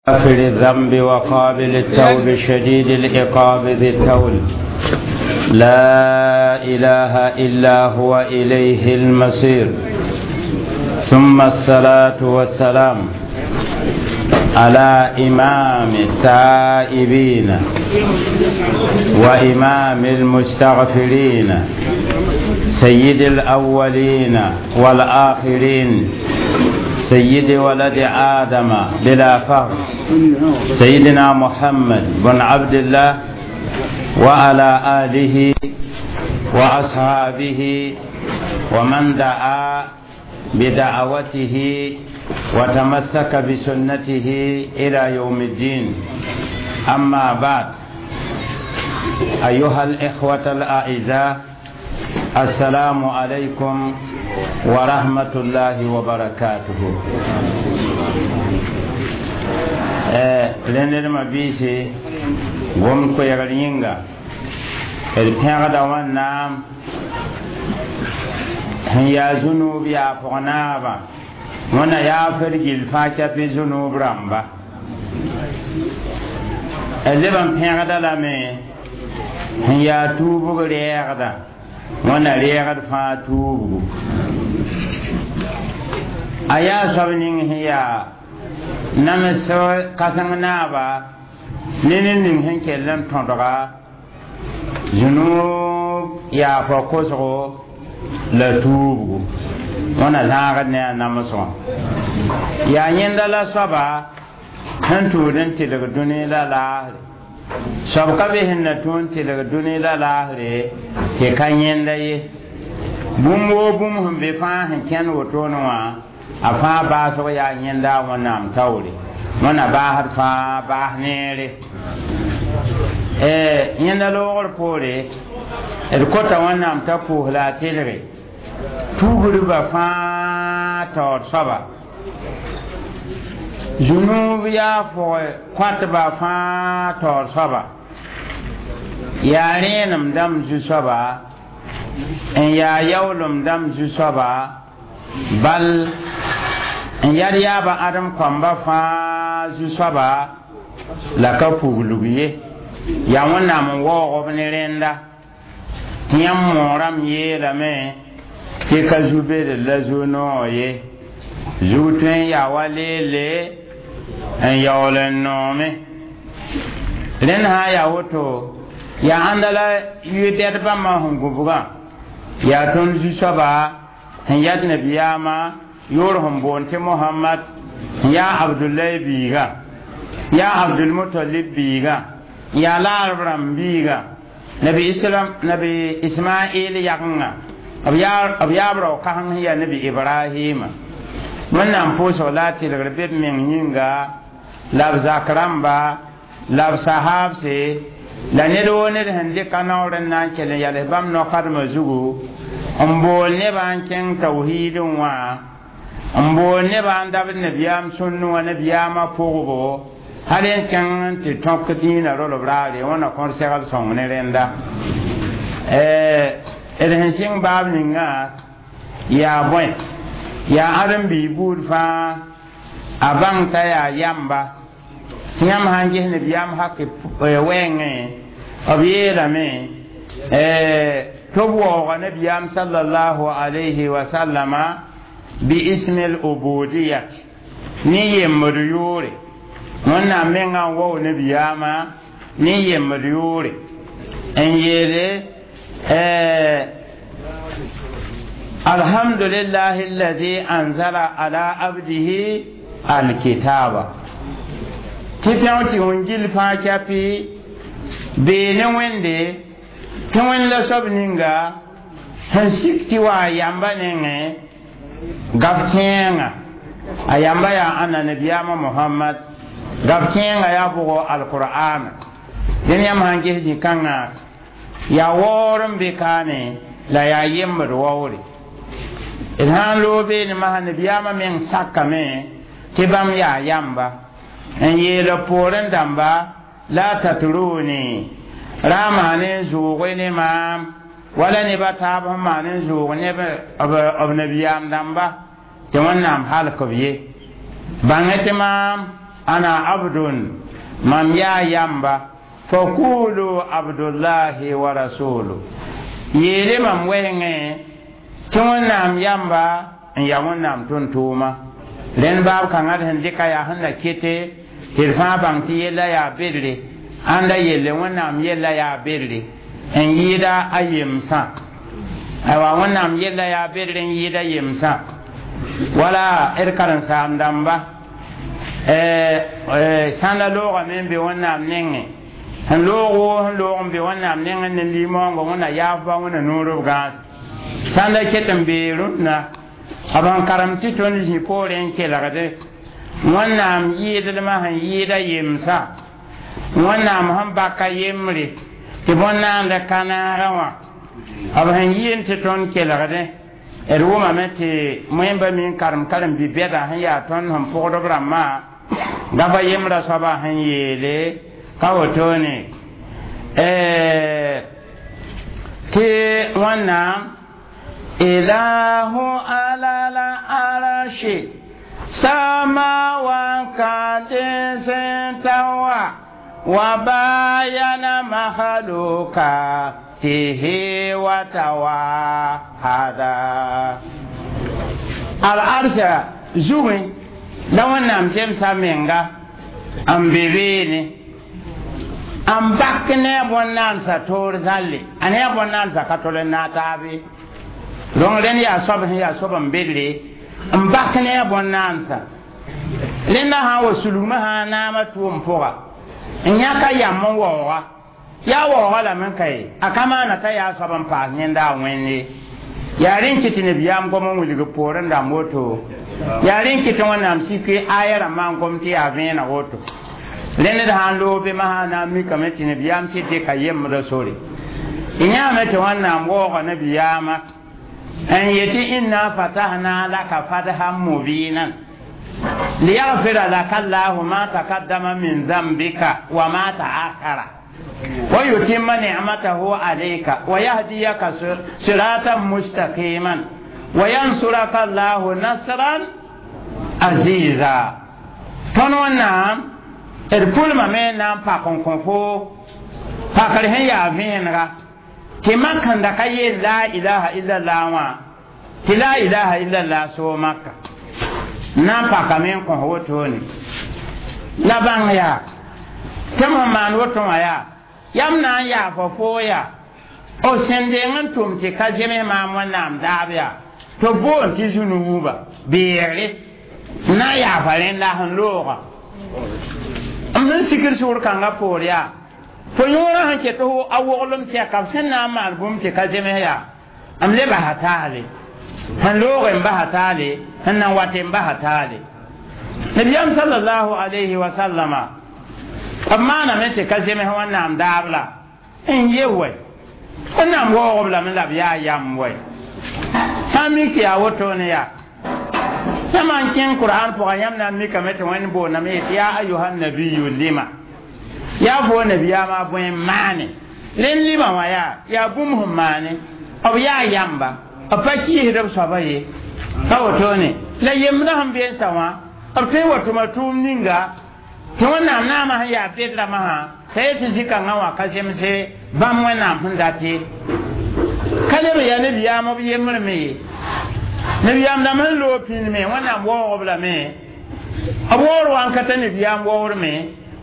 غافر الذنب وقابل التوب شديد العقاب ذي التول، لا إله إلا هو إليه المصير. ثم الصلاة والسلام على إمام التائبين وإمام المستغفرين، سيد الأولين والآخرين، سيد ولد آدم بلا فخر، سيدنا محمد بن عبد الله وعلى آله وأصحابه ومن دعا بدعوته وتمسك بسنته إلى يوم الدين. أما بعد، أيها الإخوة الأعزاء، السلام عليكم ورحمة الله وبركاته. Rẽnd mabiisi, gom koɛɛgr yĩnga d pẽgda Wẽnnaam sẽn yaa zũnuub yaa pʋg naabã, Wẽnna yaafd gill fãa kɛpɩ zũnuub rãmba. D leb n pẽgda lame sẽn yaa tuubg rɛɛgda, Wẽnna rɛɛgd fãa tuubgu. A yaa soab ning sẽn yaa nams kãseng naaba ne ned ning sẽn kell n tõdga zũnuub yaafã kosgo la tuubgu. Wẽnna zãagd ne a namsgã. Yaa yẽnda la soaba sẽn tũud n tɩlg dũni la laasre. Soab ka be sẽn na tũ n tɩlg dũni la laasre tɩ ka yẽnda ye. Bũmb woo bũmb sẽn be fãa sẽn kẽnd wotone wã, a fãa baasg yaa yẽnda a Wẽnnaam taoore. Wẽnna baasd fãa baas neere. Yẽnda loogr poore, d kota Wẽnnaam t'a pʋʋs la a tɩlge tugriba fãa taoor soaba, zũnuub yaa fʋg kõatba fãa taoor soaba, yaa rẽenem dãmb zu-soaba n yaa yaoolem dãmb zu-soaba, bal n yad yaaba ãdem kõamba fãa zu-soaba la ka puglg ye. Yaa Wẽnnaam n waoog b ne rẽnda tɩ yãmb moorame yeelame tɩ ka zu-bedr la zu-noog ye, zug tõe n yaa wa leele n yaool n noome. Rẽnd sã n yaa woto, yaa ãnda la yʋ-dɛd bãmbã sẽn gũbgã, yaa tõnd zu-soaba sẽn yat nabiyaamã yʋʋr sẽn boond tɩ Mohamad, sẽn yaa Abdulai biiga, yaa Abdulmutalib biiga, yaa laarb rãmb biiga, nabi Islam, nabi Ismail yagenga, b yaab rao kãseng sẽn yaa nabi Ibrahima. Wẽnnaam pʋʋsg la a tɩlgr be b meng yĩnga la b zak rãmba la b sahaabse la ned woo ned sẽn dɩka naoor n na n kell n yals bãmb no-kadmã zugu n bool nebã n kẽng tawhiidẽ wã, n bool nebã n dabd nabiyaam sũnn wã nabiyaamã pʋgbo, hal n kẽng n tɩ tõk dĩinã rolb raare. Wẽnna kõr segl sõng ne rẽnda. D sẽn sɩng baab ninga yaa bõe? Yaa ãdem-biig buud fãa a bãng t'a yaa yamba. Tɩ yãmb sã n ges nabiyaam hak wɛɛngẽ, b yeelame tɩ b waooga nabiyaam sallallahu alayhi wa sallama bi ismi l-ubudiyat ne yembd yʋʋre. Wẽnnaam mengã n wao nabiyaamã ne yembd yʋʋre n yeele: alhamdulillahi alladi anzala ala abdihi alkitaba. Tɩ pẽg tɩ wẽn gill fãa kɛpɩ bee ne Wẽnde, tɩ Wẽnd la soab ninga sẽn sik tɩ wa a yamba nengẽ gaf kẽenga. A yamba yaa ãnna? Nabiyaamã Mohamad. Gaf kẽenga yaa bʋgo? Alqur'ana. Dẽn yãmb sãn ges zĩ-kãngã, yaa waoor n be kaane la yaa yembd waoore. D sã n loog beene masã, nabiyaamã meng sakame tɩ bãmb yaa yamba n yeela poorẽ dãmba: la tatruni, ra maan n zʋʋge ne maam wala nebã taab sẽn maan n zʋʋg ne b nabiyaam dãmba tɩ Wẽnnaam halk b ye. Bãngẽ tɩ maam Ana abdun mam yaa yamba fakulu abdullahi wa rasulu yeele mam wɛɛngẽ tɩ wẽnnaam yamba n ya wẽnnaam tʋm-tʋʋma rẽnd baab kãngã d sẽn dɩka yaa sẽn na kete tɩ d fãa bãng tɩ yella yaa bedre ãnda yelle wẽnnaam yella yaa bedre n yɩɩda a yemsã aywa wẽnnaam yella yaa bedre n yɩɩda yemsã wala d karen-saam-dãmba sãn la loogame n be wẽnnaam nengẽ sẽn loog woo sẽn loog n be wẽnnaam nengẽ ne limoongo wẽnna yaafba wẽnna noor b gãas sãn la ket n bee rũnnã b sẽn karem tɩ tõnd zĩ poorẽ n kelgde wẽnnaam yɩɩdlmã sẽn yɩɩda yemsã wẽnnaam sẽn baka yembre tɩ bõn-naand ka naagã wã b sẽn yɩɩn tɩ tõnd kelgdẽ d wʋmame tɩ moẽmba mi n karem karen-bi-bɛda sẽn yaa tõnd sẽn pʋgd b rãmbã gafa yembrã soabã sẽn yeele ka wotone tɩ wẽnnaam ilahu ala la arshi samawan tawa wa bayana makhluqatihi wa tawahada al arsha zugẽ la wẽnnaam zemsa menga n be beene n bak ne a bõn-naansa toor zãlle a ne a bõn-naansa ka tol n naag taabe donc rẽnd yaa soab sẽn yaa soab n bedre n bak ne a bõn-naansa rẽnda sã n wa sulgmã sã naamã tʋʋm pʋga n yãka yam n waooga yaa waooga lame n ka ye a ka maana t'a yaa soab n paas yẽnda a wẽnde yaa rẽn kɩ tɩ nabiyaam gom n wilg poorẽ rãmb woto yaa rẽn kɩ tɩ wẽnnaam sik aya rãmbã n gom tɩ yaa vẽeneg woto rẽnd d sã n loog be masã na n mikame tɩ nabiyaam sɩd dɩka yembrã sore y yãame tɩ wẽnnaam waooga nabiyaamã n yetɩ inna fatahna laka fathan mubinan liyaghfira laka allahu ma taqaddama min dhanbika wa ma ta'akhara wa yutimma ni'matahu alayka wa yahdiyaka siratan mustaqiman wa yansuraka allahu nasran aziza tõnd wẽnnaam d pʋlmame na n pak n kõ fo pakr sẽn yaa vẽenega tɩ makẽnda ka yeel la ilaha illallah wã tɩ la ilaha illallah soo maka na n pakame n kõs wotone la bãng yaa tɩ m sẽn maan woto wã yaa yam na n yaafa foo yaa b sẽn deng n tʋm tɩ ka zems maam wẽnnaam daab yaa tɩ b boond tɩ zu-nuuba beegre n na n yaafa rẽnda sẽn looga m sẽn sikr sugr kãngã poor yaa fo yõorã sẽn ket a woglem tɛka b sẽn na n maan bũmb tɩ ka zems yaa m le basa taale sẽn loog n basa taale sẽn nan wat n basa taale nabiyaam sallallahu alayhi wa sallama b maaname tɩ ka zems wẽnnaam daab la n ye wɛ wẽnnaam waoogb lame la b yaa yam wɛ sã n mik tɩ yaa wotone yaa yãmb n kẽng qur'an pʋgã yãmb na n mikame tɩ wẽnd boondame yetɩ yaa ayuha nabiyu lima yaa fo nabiyaamã bõe n maane rẽnd lima wã yaa yaa bũmb sẽn maane b yaa yamba b pa kiisd b soaba ye ka wotone la yembrã sẽn been sa wã b tõe n wa tʋma tʋʋm ninga tɩ wẽnnaam naamã sẽn yaa bed rãmbã sã t'a yet tɩ zĩ-kãngã wã ka zemse bãmb wẽnnaam sẽn dat ye ka leb n yaa nabiyaam b yembre me ye nabiyaam dãmb sẽn loog pĩnd me wẽnnaam waoog b lame b waoor wa n ka t'a nabiyaam waoor me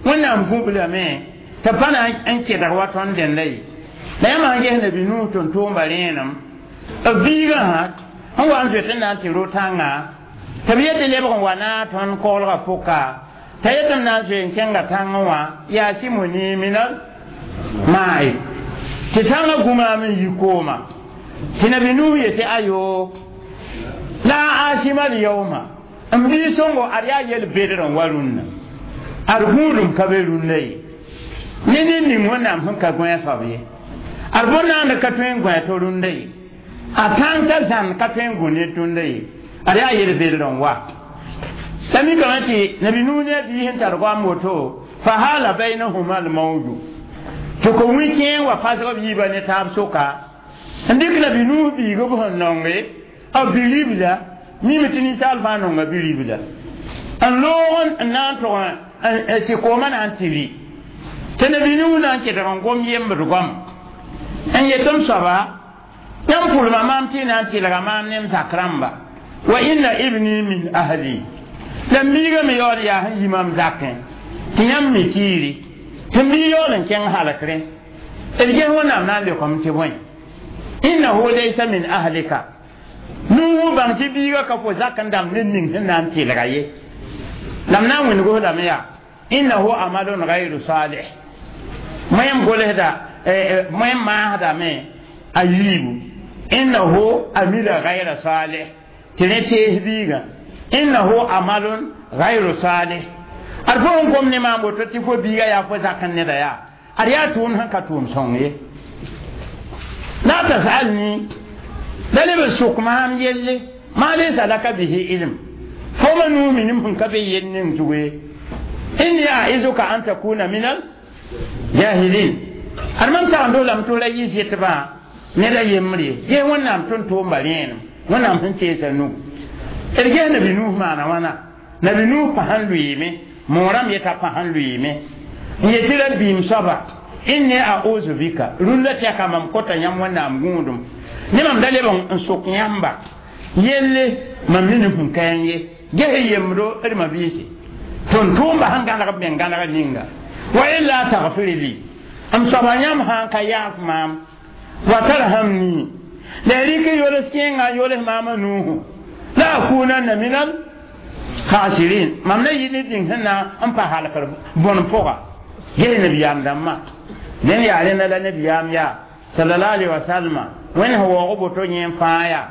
wẽnnaam gũb lame tɩ pa na n kedg wa tõnd dẽnda ye la yãmb sãn ges nabi nuus tʋm-tʋʋmba rẽenem b biigã sã sẽn wa n zoet n na n tɩ ro-tãngã tɩ b yet tɩ lebg n wa na tõnd koglgã pʋka t'a yet m na n zoe n kẽnga tãngẽ wã yaa simuni minal ma'i tɩ tãngã gũmaam n yi kooma tɩ nabi nuus yetɩ ayo la asima al yawma n bii sõngo ad yaa yel bedr n wa rũnnã ad gũudum ka be rũnnã ye ne ned ning wẽnnaam sẽn ka gõe soab ye ad bõn-naand ka tõe n gõe to rũndã ye a tãng t'a zãn ka tõe n gũ ned tũndã ye ad yaa yel bedr n wa la mikame tɩ nabi nuus ne a biis n tar goam woto fa hala bainahuma almawju tɩ ko wĩ-kẽeng wa pasg b yiibã ne taab soka n dɩk nabi nuus biig b sẽn nonge b biribla mime tɩ ninsaal fãa nonga biribla n loog n na n tʋg tɩ koomã na n tɩ rɩ tɩ nabi Nuh na n kedg n gom yembd goama n yet m soaba yãmb pʋlma maam tɩ y na n tɩlga maam ne m zak rãmba wa inna ibni min ahli la m biigã me yaool yaa sẽn yi mam zakẽ tɩ yãmb mi tiiri tɩ m bii yaool n kẽng halkrẽ d ges Wẽnnaam na n leokame tɩ bõe innahu laysa min ahlika Nuhu bãng tɩ biigã ka fo zak n dãmb ned ning sẽn na n tɩlga ye la m na n wĩngs lame yaa innahu amalun gayru salih moẽm golsda moẽm maasdame a yiibu innahu amila gayra salih tɩ rẽ tees biigã innahu amalun gayru salih ad fo sẽn gom ne maam woto tɩ fo biiga yaa fo zak n neda yaa ad yaa tʋʋm sẽn ka tʋʋm sõng ye la tasalni la leb n sʋk maam yelle maa laysa laka bihi ilm fo ma nuu minim sẽn ka be yell ning zug ye inni aizuka an takuna min al jahilin ad mam tagndo lame tɩ ra yɩ zɩtbã ned a yembr ye ges Wẽnnaam tõnd tʋʋmba rẽenem Wẽnnaam sẽn teesa nugu d ges nabi Nuh maana wãna nabi Nuh pa sẽn lʋɩɩme moorãmb yeta pa sẽn lʋɩɩme n yetɩ ra biim soaba inni a'uzu bika rũndã tɛka mam kota yãmb Wẽnnaam gũudum ne mam da leb n sʋk yãmba yelle mam mi ne sẽn ka ye ges yembdo d mabiisi tõnd tʋʋmba sẽn gãneg b meng gãneg ninga wa illa tagfir li m soaba yãmb sã n ka yaaf maam wa tarhamni la rɩk yols kẽenga n yols maama nuuhu la akunanna min al khasirin mam na yɩ ne dĩng sẽn na n pa halkr bõn pʋga ges nabiyaam dãmbã dẽn yaa rẽnda la nabiyaam yaa sallallahu alaihi wasallam wẽnd sẽn waoog boto yẽ n fãa yaa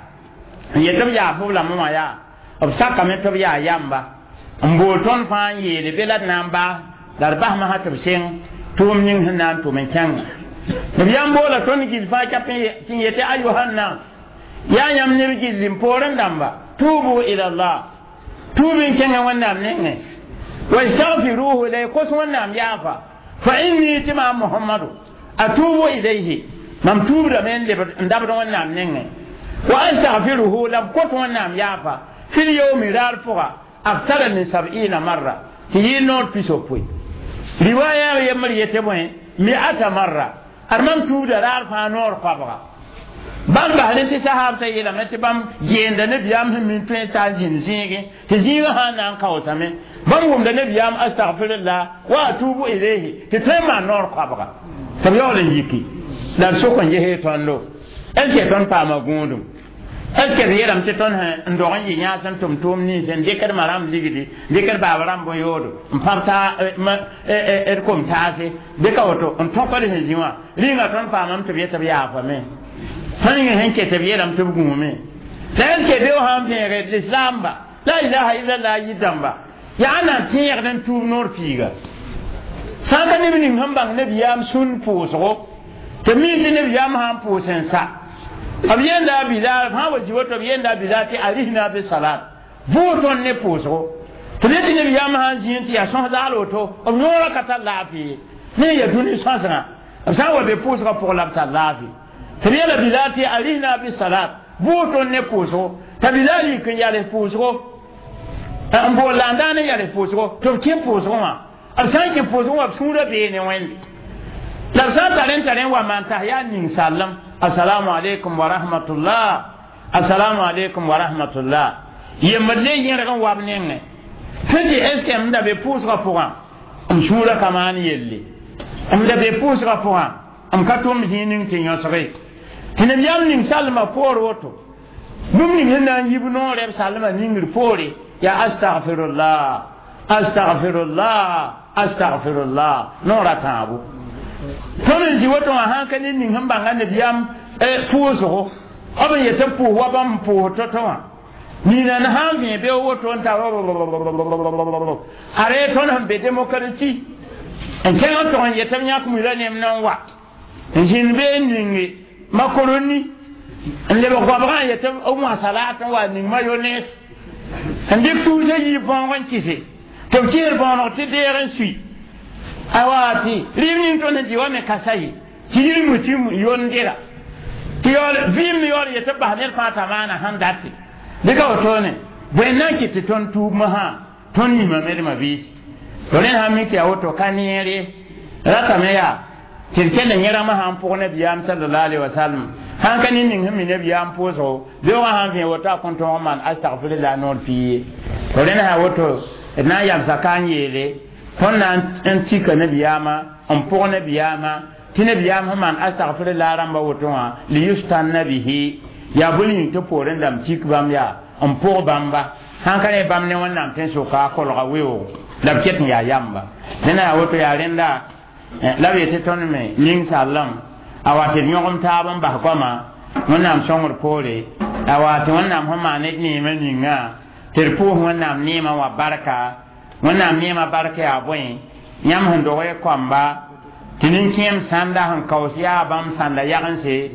n yet b yaaf b lame wã yaa b sakame tɩ b yaa yamba n bool tõnd fãa n yeele be la d na n baas la d basmã sã tɩ b seng tʋʋm ning sẽn na n tʋm n kẽnga nabiyaam boola tõnd gill fãa kap tɩ n yetɩ ayuhannas yaa yãmb neb gilli n poorẽ dãmba tubu ila llah tuub n kẽngã Wẽnnaam nengẽ wastagfiruhu la y kos Wẽnnaam yaafa fa inni tɩ maam Mohamado atubu ilayhi mam tuubdame n lebd n dabd Wẽnnaam nengẽ wa astagfiruhu la b kot Wẽnnaam yaafa fil yawmi raar pʋga aktara min sab'ina marra tɩ yɩ noor pisopoe riwaya yembr yetɩ bõe mi'ata marra ad mam tuubda raar fãa noor koabga bãmb basrẽ tɩ sahaabsã yeelame tɩ bãmb geenda nabiyaam sẽn min tõe t'a n zĩnd zĩigẽ tɩ zĩigã sã n na n kaoosame bãmb wʋmda nabiyaam astagfirullah wa atubu ilayhi tɩ tõe n maan noor koabga tɩ b yaool n yiki la d sʋk n ges tõndo est ce que tõnd paama gũudum est ce que d yeelame tɩ tõnd n dog n yɩ yãas n tʋm tʋʋm nins n dɩkd ma rãmb ligdi dɩkd baab rãmb bõn-yoodo n pãb d kom taase bɩ ka woto n tõkd sẽn zĩ wã rĩnga tõnd paamame tɩ b yet b yaafame tõnd yẽ sẽn ket b yeelame tɩ b gũume la est ce que beo sã n vẽege lislaamba la ilaha illallah yɩ dãmba yaa na n tẽegd n tuub noor piiga sã n ka neb ning sẽn bãng nabiyaam sũn pʋʋsgo tɩ mi tɩ nabiyaam sã n pʋʋs n sa b yenda a Bilal fãa wa zĩ woto b yenda a Bilal tɩ arihna bi salat vʋʋg tõnd ne pʋʋsgo tɩ b yetɩ nabiyaam sã n zĩen tɩ yaa sõs zaal woto b yõora ka tar laafɩ ye ne ya dũni sõsgã b sã n wa be pʋʋsgã pʋg la b tar laafɩ tɩ b yeela Bilal tɩ arihna bi salat vʋʋg tõnd ne pʋʋsgo t'a Bilal yik n yals pʋʋsgo n bool la n daan n yals pʋʋsgo tɩ b kẽ pʋʋsgõ wã b sã n kẽ pʋʋsgõ wã b sũurã bee ne Wẽnde la b sã n tar n tar n wa maan tas yaa ning-sallem assalamu alaikum wa rahmatullah assalamu alaikum wa rahmatullah yembd le yẽrg n wa b nengẽ sẽn tɩ est ce que m da be pʋʋsgã pʋgã m sũurã ka maan yelle m da be pʋʋsgã pʋgã m ka tʋm zĩig ning tɩ yõsge tɩ nabiyaam ning salmã poor woto bũmb ning sẽn na n yib noorɛ b salmã ningr poore yaa astagfirullah astagfirullah astagfirullah noora tãabo tõnd n zĩ woto wã sãn ka ned ning sẽn bãnga nabiyaam pʋʋsgo b n yetɩ b pʋʋs wa bãmb pʋʋs to-to wã nina n sãn vẽ be woto n ta are tõnd sẽn be démocratie n kẽng n tog n yetɩ b yãk mila nem na n wa n zĩnd be n ninge makaroni n lebg goabgã n yetɩ b wã salat n wa ning mayonnaise n dɩk tuusã yiib bõog n kɩse tɩ b kɩsd bõoneg tɩ deeg n sui awa tɩ rɩɩb ning tõnd sẽn dɩ wa me ka sa ye tɩ yir mu tɩ yondera tɩ yaool vɩɩm me yaool yetɩ b bas ned fãa t'a maana sẽn date bɩ ka wotone bõe n na n kɩt tɩ tõnd tuub masã tõnd mimame d mabiisi To rẽnd sã n mik tɩ yaa woto ka neere ratame yaa tɩ d kell n yẽrgmã sã n pʋg nabiyaam sallallahu alaihi wasallam sãn ka ne ning sẽn mi nabiyaam pʋʋsgo beoogã sã n vẽ woto a kõn tõog n maan astagfirla noor pii ye. To rẽnd sã woto d na n yamsa ka n yeele tõnd na n tika nabiyaamã n pʋg nabiyaamã tɩ nabiyaam sẽn maan astagfirla rãmba woto wã liyustanna bihi yaa bõe yĩng tɩ poorẽ dãmb tik bãmb yaa n pʋg bãmba sãn ka ne bãmb ne wẽnnaam tẽn-sʋka a kolga weoogo la b ket n yaa yamba nena yaa woto yaa rẽnda la b yetɩ tõnd me ning-sallem a wa tɩ d yõgem taab n bas goama wẽnnaam sõngr poore a wa tɩ wẽnnaam sẽn maan ned neemã ninga tɩ d pʋʋs wẽnnaam neemã wã barka wẽnnaam neemã barka yaa bõe yãmb sẽn dog y kɔamba tɩ nin-kẽem sãnda sẽn kaoos yaa bãmb sãnda yagense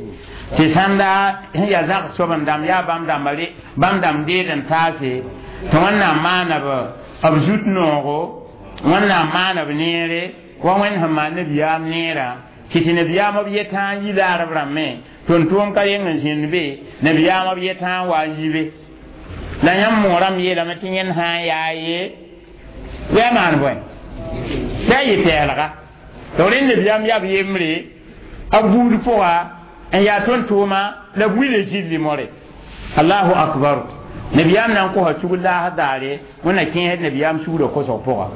tɩ sãnda sẽn yaa zag sob-n dãmb yaa bãmb dãmba bãmb dãmb deed n taase tɩ wẽnnaam maana b zut noogo wẽnnaam maana b neere wa wẽnd sẽn maan nabiyaam neerã tɩ tɩ nabiyaam b yetã n yi laarb rãmbẽ tʋm-tʋʋm ka yeng n zĩnd be nabiyaam b yetã n wa n yi be la yãmb moorame yeelame tɩ yẽnd sã n yaa ye bɩ a maan bõe tɩ a yɩ pɛɛlga tɩ rẽnd nabiyaam yaa b yembre a buud pʋga n yaa tõnd-tʋʋma la b wila zilli more allahu akbar nabiyaam na n kosa sugr laasd daare wẽnna kẽesd nabiyaam sugrã kosg pʋga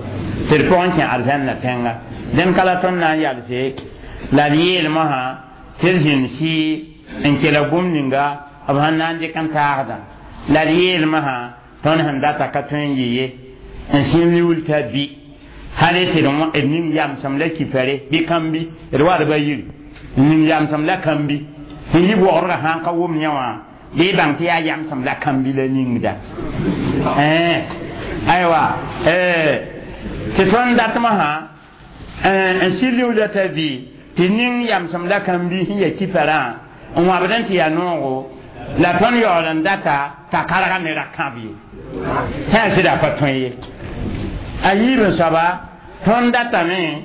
tɩ d pʋgẽ kẽ arzãnna tẽnga dẽnd ka la tõnd na n yalse la d yeelmosã tɩ d zĩnd sɩ n kela bũmb ninga b sẽn na n dɩk n taagdã la d yeelmosã tõnd sẽn data ka tõe n yɩ ye n sẽn liuul t'a bi hal tɩ d ning yamsem la kipɛre bɩ kãmbi d wadba yiri n ning yamsem la kãmbi sẽn yi bogrgã sã n ka wʋm yẽ wã bɩ bãng tɩ yaa yamsem la kãmbi la ningda aywa tɩ tõnd datmosã n sɩ liuula t'a bɩ tɩ ning yamsem la kãmbi sẽn ya kipɛrã n wãbd n tɩ yaa noogo la tõnd yaool n data t'a karga ne ra kãb ye sã yaa sɩda pa tõe ye a yiib n soaba tõnd datame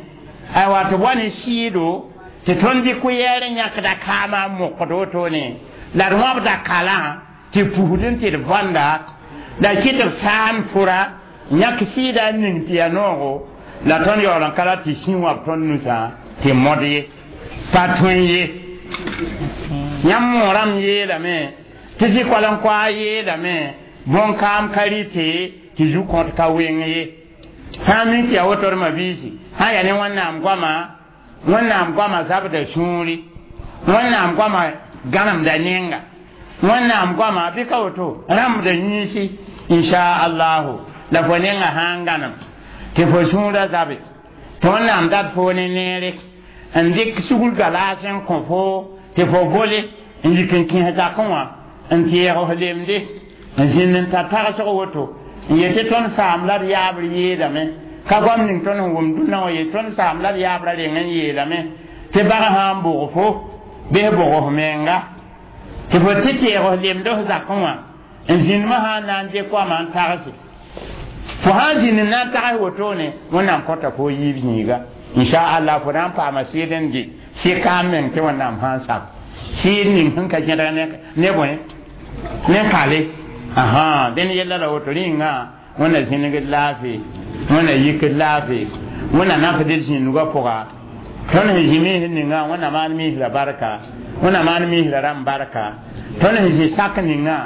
aywa tɩ wa ne sɩɩdo tɩ tõnd dɩ kʋyɛɛr n yãkda kaamã n mokd wotone la d wãbda kalã tɩ pusd n tɩ d bõnda la kɩ tɩ b saan fʋra yãk sɩɩda n ning tɩ yaa noogo la tõnd yaool n ka ra tɩ sĩ wãb tõnd nusã tɩ mod ye pa tõe ye yãmb moorame yeelame tɩ zĩ-koalen-koaa yeelame bõn-kaam ka rɩte tɩ zu-kõt ka weng ye sã n mik tɩ yaa woto d mabiisi sã n yaa ne wẽnnaam goama wẽnnaam goama zabda sũuri wẽnnaam goama gãnemda nenga wẽnnaam goama bɩ ka woto rãmbda yĩnsi inshaallahu la fo nenga sã n gãnem tɩ fo sũurã zabe tɩ wẽnnaam dat fo ne neere n dɩk sugr galaas n kõ fo tɩ fo gole n yik n kẽes zakẽ wã n tɩɛg f lemde n zĩnd n tar tagsg woto n yetɩ tõnd saam la d yaabr yeelame ka goam ning tõnd sẽn wʋm dũnna wã ye tõnd saam la d yaabrã reng n yeelame tɩ bag sã n bʋg fo bɩs bʋg f menga tɩ fo tɩ tɩɛg f lemd f zakẽ wã n zĩndmã sã n na n dɩk goamã n tagse fo sã n zĩnd n na n tags wotone wẽnnaam kõta fo yiib yĩiga inshaallah fo na n paama sɩɩd n dɩ sɩ kaam meng tɩ wẽnnaam sã n sak sɩɩd ning sẽn ka gẽdg ne bõe ne kale aha dẽnd yella la woto rĩnga wẽnna zĩnigd laafɩ wẽnna yikd laafɩ wẽnna nafd d zĩndgã pʋga tõnd sẽn zĩ miisd ninga wẽnna maan miisrã barka wẽnna maan miisrã rãmb barka tõnd sẽn zĩ sak ninga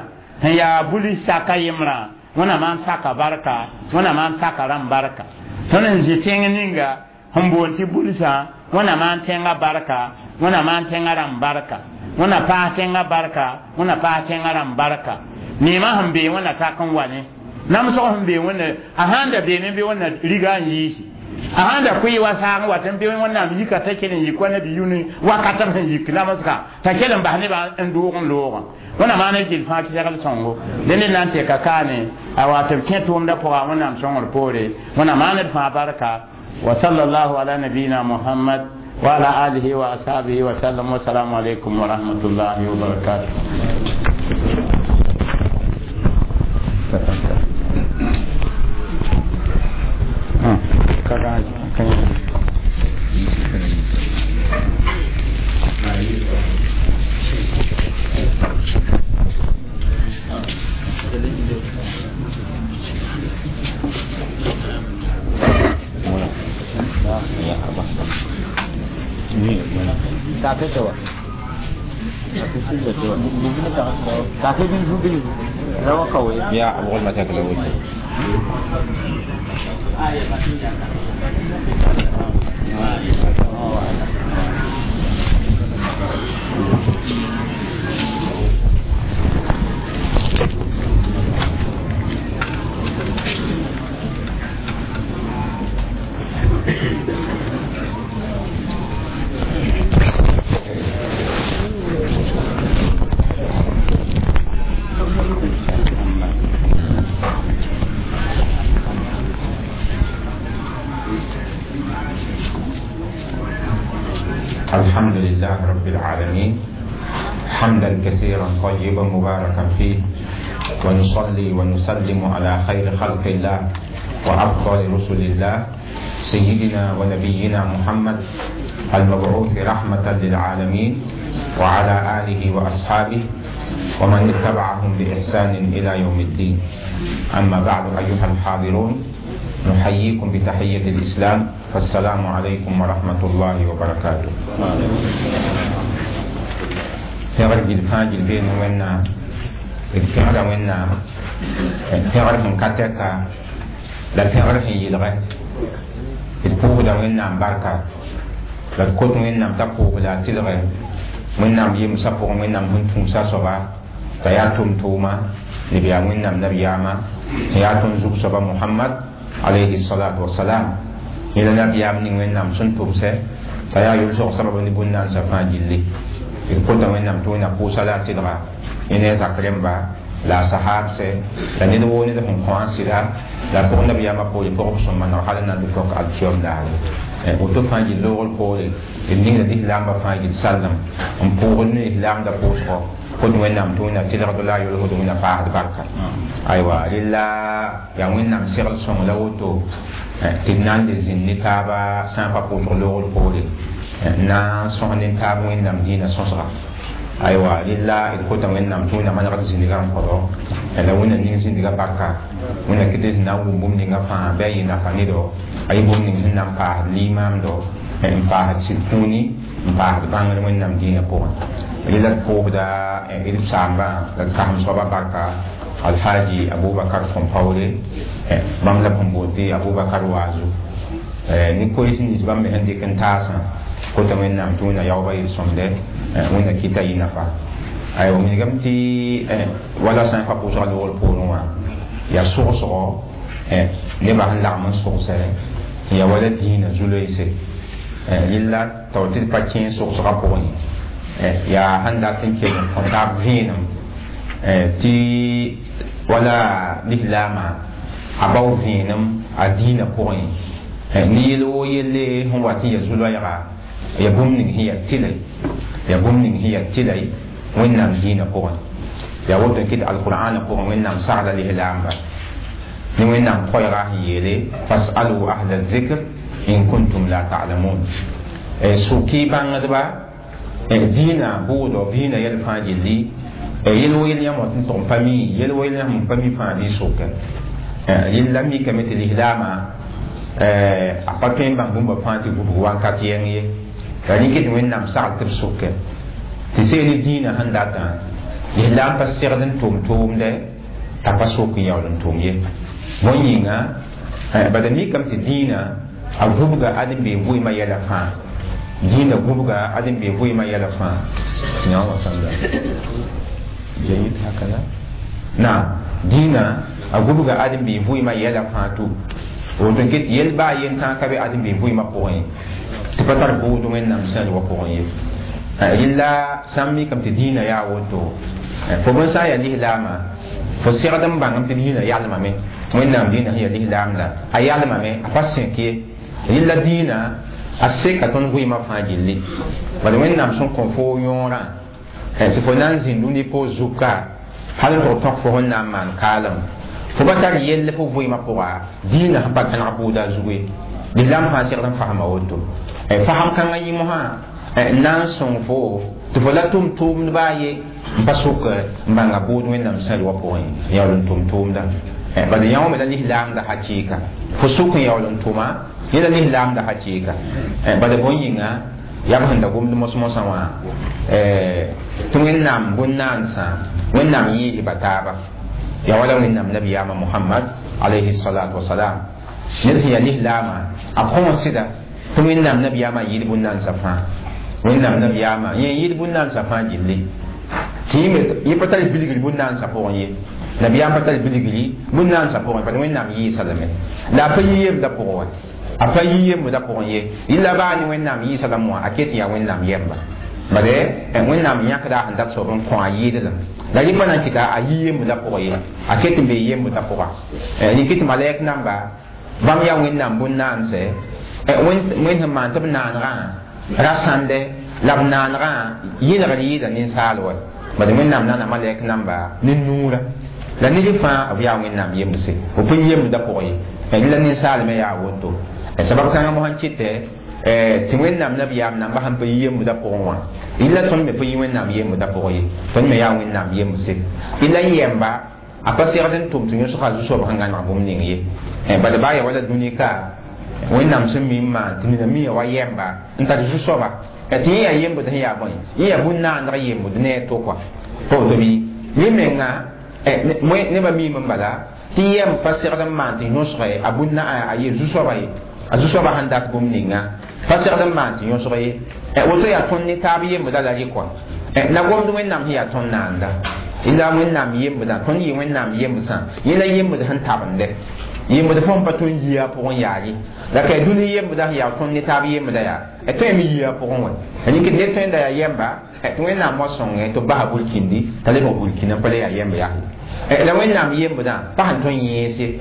sẽn yaa bulis saka yembrã wẽnna maan saka barka wẽnna maan saka rãmb barka tõnd sẽn zĩ tẽng ninga sẽn boond tɩ bulsã wẽnna maan tẽngã barka wẽnna maan tẽngã rãmb barka wẽnna paas tẽngã barka wẽnna paas tẽngã rãmb barka neemã sẽn bee wẽnna tak n wa ne namsg sẽn bee wẽnna a sãn da beene bɩ wẽnna riga n yiisi a sãn da koe wa saag n wat n bɩ wẽnnaam yika t'a kell n yik wa nabi yʋne wakat b sẽn yik namsga t'a kell n bas nebã n doog n loogã wẽnna maan gill fãa segl sõngo dẽnd na n tɛka kaane a wa tɩ b kẽ tʋʋmdã pʋga wẽnnaam sõngr poore wẽnna maan d fãa barka wa sallallahu ala nabiyina muhammad wa ala alihi wa ashabihi wa sallam wa salamu alaykum wa rahmatullahi wa barakatuh. يا أبو ما تاكل الحمد لله رب العالمين حمدا كثيرا طيبا مباركا فيه، ونصلي ونسلم على خير خلق الله وأفضل رسل الله سيدنا ونبينا محمد المبعوث رحمة للعالمين، وعلى آله وأصحابه ومن اتبعهم بإحسان إلى يوم الدين. أما بعد، أيها الحاضرون، نحييكم بتحية الإسلام، فالسلام عليكم ورحمة الله وبركاته. pẽgr gil fãa gil beene Wẽnnaam, d pẽgra Wẽnnaam, pẽgr sẽn ka tɛka la pẽgr sẽn yɩlgɛ. D pʋʋsda Wẽnnaam barka la d kot Wẽnnaam t'a pʋʋs la a tɩlgɛ Wẽnnaam yemsã pʋgẽ, Wẽnnaam sẽn tũusa soaba t'a yaa tʋm-tʋʋma neb yaa Wẽnnaam nabiyaamã sẽn yaa tõnd zug soaba Mohamad alayhi salatu wasalam. Yẽ la nabiyaam ning Wẽnnaam sẽn tʋmsɛ t'a yaa yʋlsg sabab ne bũn-nansã fãa gilli. D kota Wẽnnaam tɩ Wẽnnaam pʋʋsa la a tɩlga yẽ ne a zak rẽmba la a sahabsɛ la ned woo ned sẽn kõ a sɩda la pʋg nabiyaamã poore pʋgb sẽn maneg hal n na n tɩ tɔk alkiyom daare. Woto fãa gil loogr poore d ningda lislaambã fãa gil sallem n pʋʋgd ne lislaamdã pʋʋsgɔ kot Wẽnnaam tɩ Wẽnnaam tɩlgd la a yolsd Wẽnnaam paasd barka. Aywa, rella yaa Wẽnnaam segl sõng la woto tɩ d na n le zĩnd ne taaba sã n pa pʋʋsg loogr poore n na n sõs ne taab Wẽnnaam dĩinã sõsga. Aywa, rella d kota Wẽnnaam tɩ Wẽnnaam manegd zĩndgã n kõdo la Wẽnnaam ning zĩndgã barka, Wẽnnaam kɩ tɩ na n wʋm bũmb ninga fãa bɩ a yɩ nafa nedo, a yɩ bũmb ning sẽn na n paasd limaamdo, n paasd sɩd kũuni, n paasd bãngr Wẽnnaam dĩinã pʋgẽ. Rella d pʋʋsda d saambã la d kasem soaba barka Alhaji Abubakar Kõmpaoore, bãmb la sẽn boond tɩ Abubakar Waazu ne koees nins bãmb me sẽn dɩk n taasã kota Wẽnnaam tɩ Wẽnna yaoobã yel-sõmde, Wẽnna kɩta yɩ nafa. Aywa, wilgame tɩ wala sã n pa pʋʋsga loogr poorẽ wã yaa sogsgo nebã sẽn lagm n sogsɛ tɩ yaa wala dĩinã zu-loeese rella tao tɩ d pa kẽ sogsgã pʋgẽ yaa sẽn dat n kell n kõ taab vẽenem tɩ wala lislaamã a bao vẽenem a dĩinã pʋgẽ ne yel woo yelle sẽn wa tɩ ya zu-loɛɛga ya bũmb ning sẽn yaa tɩlɛ, ya bũmb ning sẽn yaa tɩlɛ Wẽnnaam dĩinã pʋgẽ. Yaa woto n kɩt alqur'ana pʋgẽ Wẽnnaam sagla lislaamba ne Wẽnnaam koɛɛga sẽn yeele fasalu ahla dhikr in kuntum la ta'lamun, soke bãngdba dĩinã bʋʋdɔ dĩinã yɛl fãa gilli yel wo yel yãmb wa tɩ n tʋg n pa mi yel wo yel yãmb n pa mi fãa bɩ soke. Rella mikame tɩ lislaamã a pa tõe n bãng bũmba fãa tɩ vubg wakat yɛng ye, la rẽ kɩ tɩ Wẽnnaam sagl tɩ b soke tɩ seel dĩinã sẽn datã lislaam pa segd n tʋm tʋʋmdɛ t'a pa sok n yaool n tʋm ye. Bõe yĩnga, bada mikame tɩ dĩinã a vubga ad n bee vɩɩmã yɛla fãa, dĩinã vubga ad n bee vɩɩmã yɛla fãa. جيد هكذا نعم dĩinã a vubga ad n bee vɩɩmã yɛla fãa tʋ woto n ket yel baa yen tãa ka be ad n bee vɩɩmã pʋgẽ tɩ pa tar bʋʋd Wẽnnaam sẽn wa pʋgẽ ye. Rella sã n mikame tɩ dĩinã yaa woto fo bõn sã n yaa lislaamã fo segd n bãngame tɩ dĩinã yalmame, Wẽnnaam dĩinã sẽn yaa lislaam la a yalmame, a pa sẽk ye. Rella dĩinã a seka tõnd vɩɩmã fãa gilli, bala Wẽnnaam sẽn kõ fo yõorã tɩ fo na n zĩnd rũni poor zuka hal n tʋg tõk fo sẽn na n maan kaalem fo pa tar yell fo vɩɩmã pʋga dĩinã sẽn pa kãneg bʋʋda a zugu ye. Lislaam fãa segd n fasma woto fasem kãngã yɩ mosã n na n sõng fo tɩ fo la tʋm tʋʋmd baa ye n pa sok n bãnga bʋʋd Wẽnnaam sẽn wa pʋgẽ yaool n tʋm tʋʋmda. Bad yão me la lislaamda hakɩɩka fo sʋk n yaool n tʋma yẽ la lislaamda hakɩɩka bad bõn yĩnga yaa b sẽn da gomd mos-mosã wã tɩ wẽnnaam bũn-naansã wẽnnaam yɩɩsba taaba yaa wala wẽnnaam nabiyaamã Mohamad alayhi salatu wasalam ned sẽn yaa lislaamã a kõo sɩda tɩ wẽnnaam nabiyaamã yɩɩd bũn-naansã fãa wẽnnaam nabiyaamã yẽ yɩɩd bũn-naansã fãa gilli tɩ yẽ pa tar bilgr bũn-naansã pʋgẽ ye nabiyaam pa tar bilgri bũn-naansã pʋgẽ pa wẽnnaam yɩɩsa lame la a pa yi yembda pʋgẽ wa a pa yi yembda pʋgẽ ye yɩla baa ne wẽnnaam yɩɩsa lame wã a ket n yaa wẽnnaam yɛmba bade wẽnnaam yãkda sẽn dat soab n kõ a yɩɩd la yẽ pa na n kɩta a yi yembda pʋgẽ ye a ket n bee yembda pʋga rɩk tɩ malɛk namba bãmb yaa wẽnnaam bũn-naanse wẽnd sẽn maan tɩ b naanegã ra sãnde la b naanegã yɩlgr yɩɩda ninsaal wa bad wẽnnaam naana malɛk namba ne nuurã la ned fãa b yaa wẽnnaam yembse b pʋn yembda pʋgẽ ye la ninsaal me yaa woto sabab kãngã mosã kɩtɛ tɩ wẽnnaam nabiyaam namba sẽn pa yi yembda pʋgẽ wã illa tõnd me pa yi wẽnnaam yembda pʋgẽ ye tõnd me yaa wẽnnaam yembse illa yɛmba a pa segd n tʋm tɩ yõsga zu-soab sẽn gãneg bũmb ning ye bad baa ya wala dũni ka wẽnnaam sẽn mi n maan tɩ nina mi wa yɛmba n tar zu-soaba tɩ yẽ yaa yembd sẽn yaa bõe yẽ yaa bũn-naandg yembd ne a to kɔa pa woto bɩ yẽ menga nebã miime n bala tɩ yɛm pa segd n maan tɩ yõsge a bũn a ye zu-soaba ye a zu-soaba sẽn dat bũmb ninga pa segd n maan tɩ yõsg ye woto yaa tõnd ne taab yembda la rɩ kɔa la gomd wẽnnaam sẽn yaa tõnd naanda illa wẽnnaam yembda tõnd yɩ wẽnnaam yembsã yẽ la yembd sẽn tabende yembd fõn pa tõnd yia pʋgẽ yaa ye la ka dũni yembda sẽn yaa tõnd ne taab yembda yaa tõe me yia pʋgẽ wã rɩk ned tõe n da yaa yɛmba tɩ wẽnnaam wa sõngẽ tɩ b basa burkindi t'a lebg burkina pa le yaa yɛmb yaa la wẽnnaam yembdã pa sẽn tõnd yẽese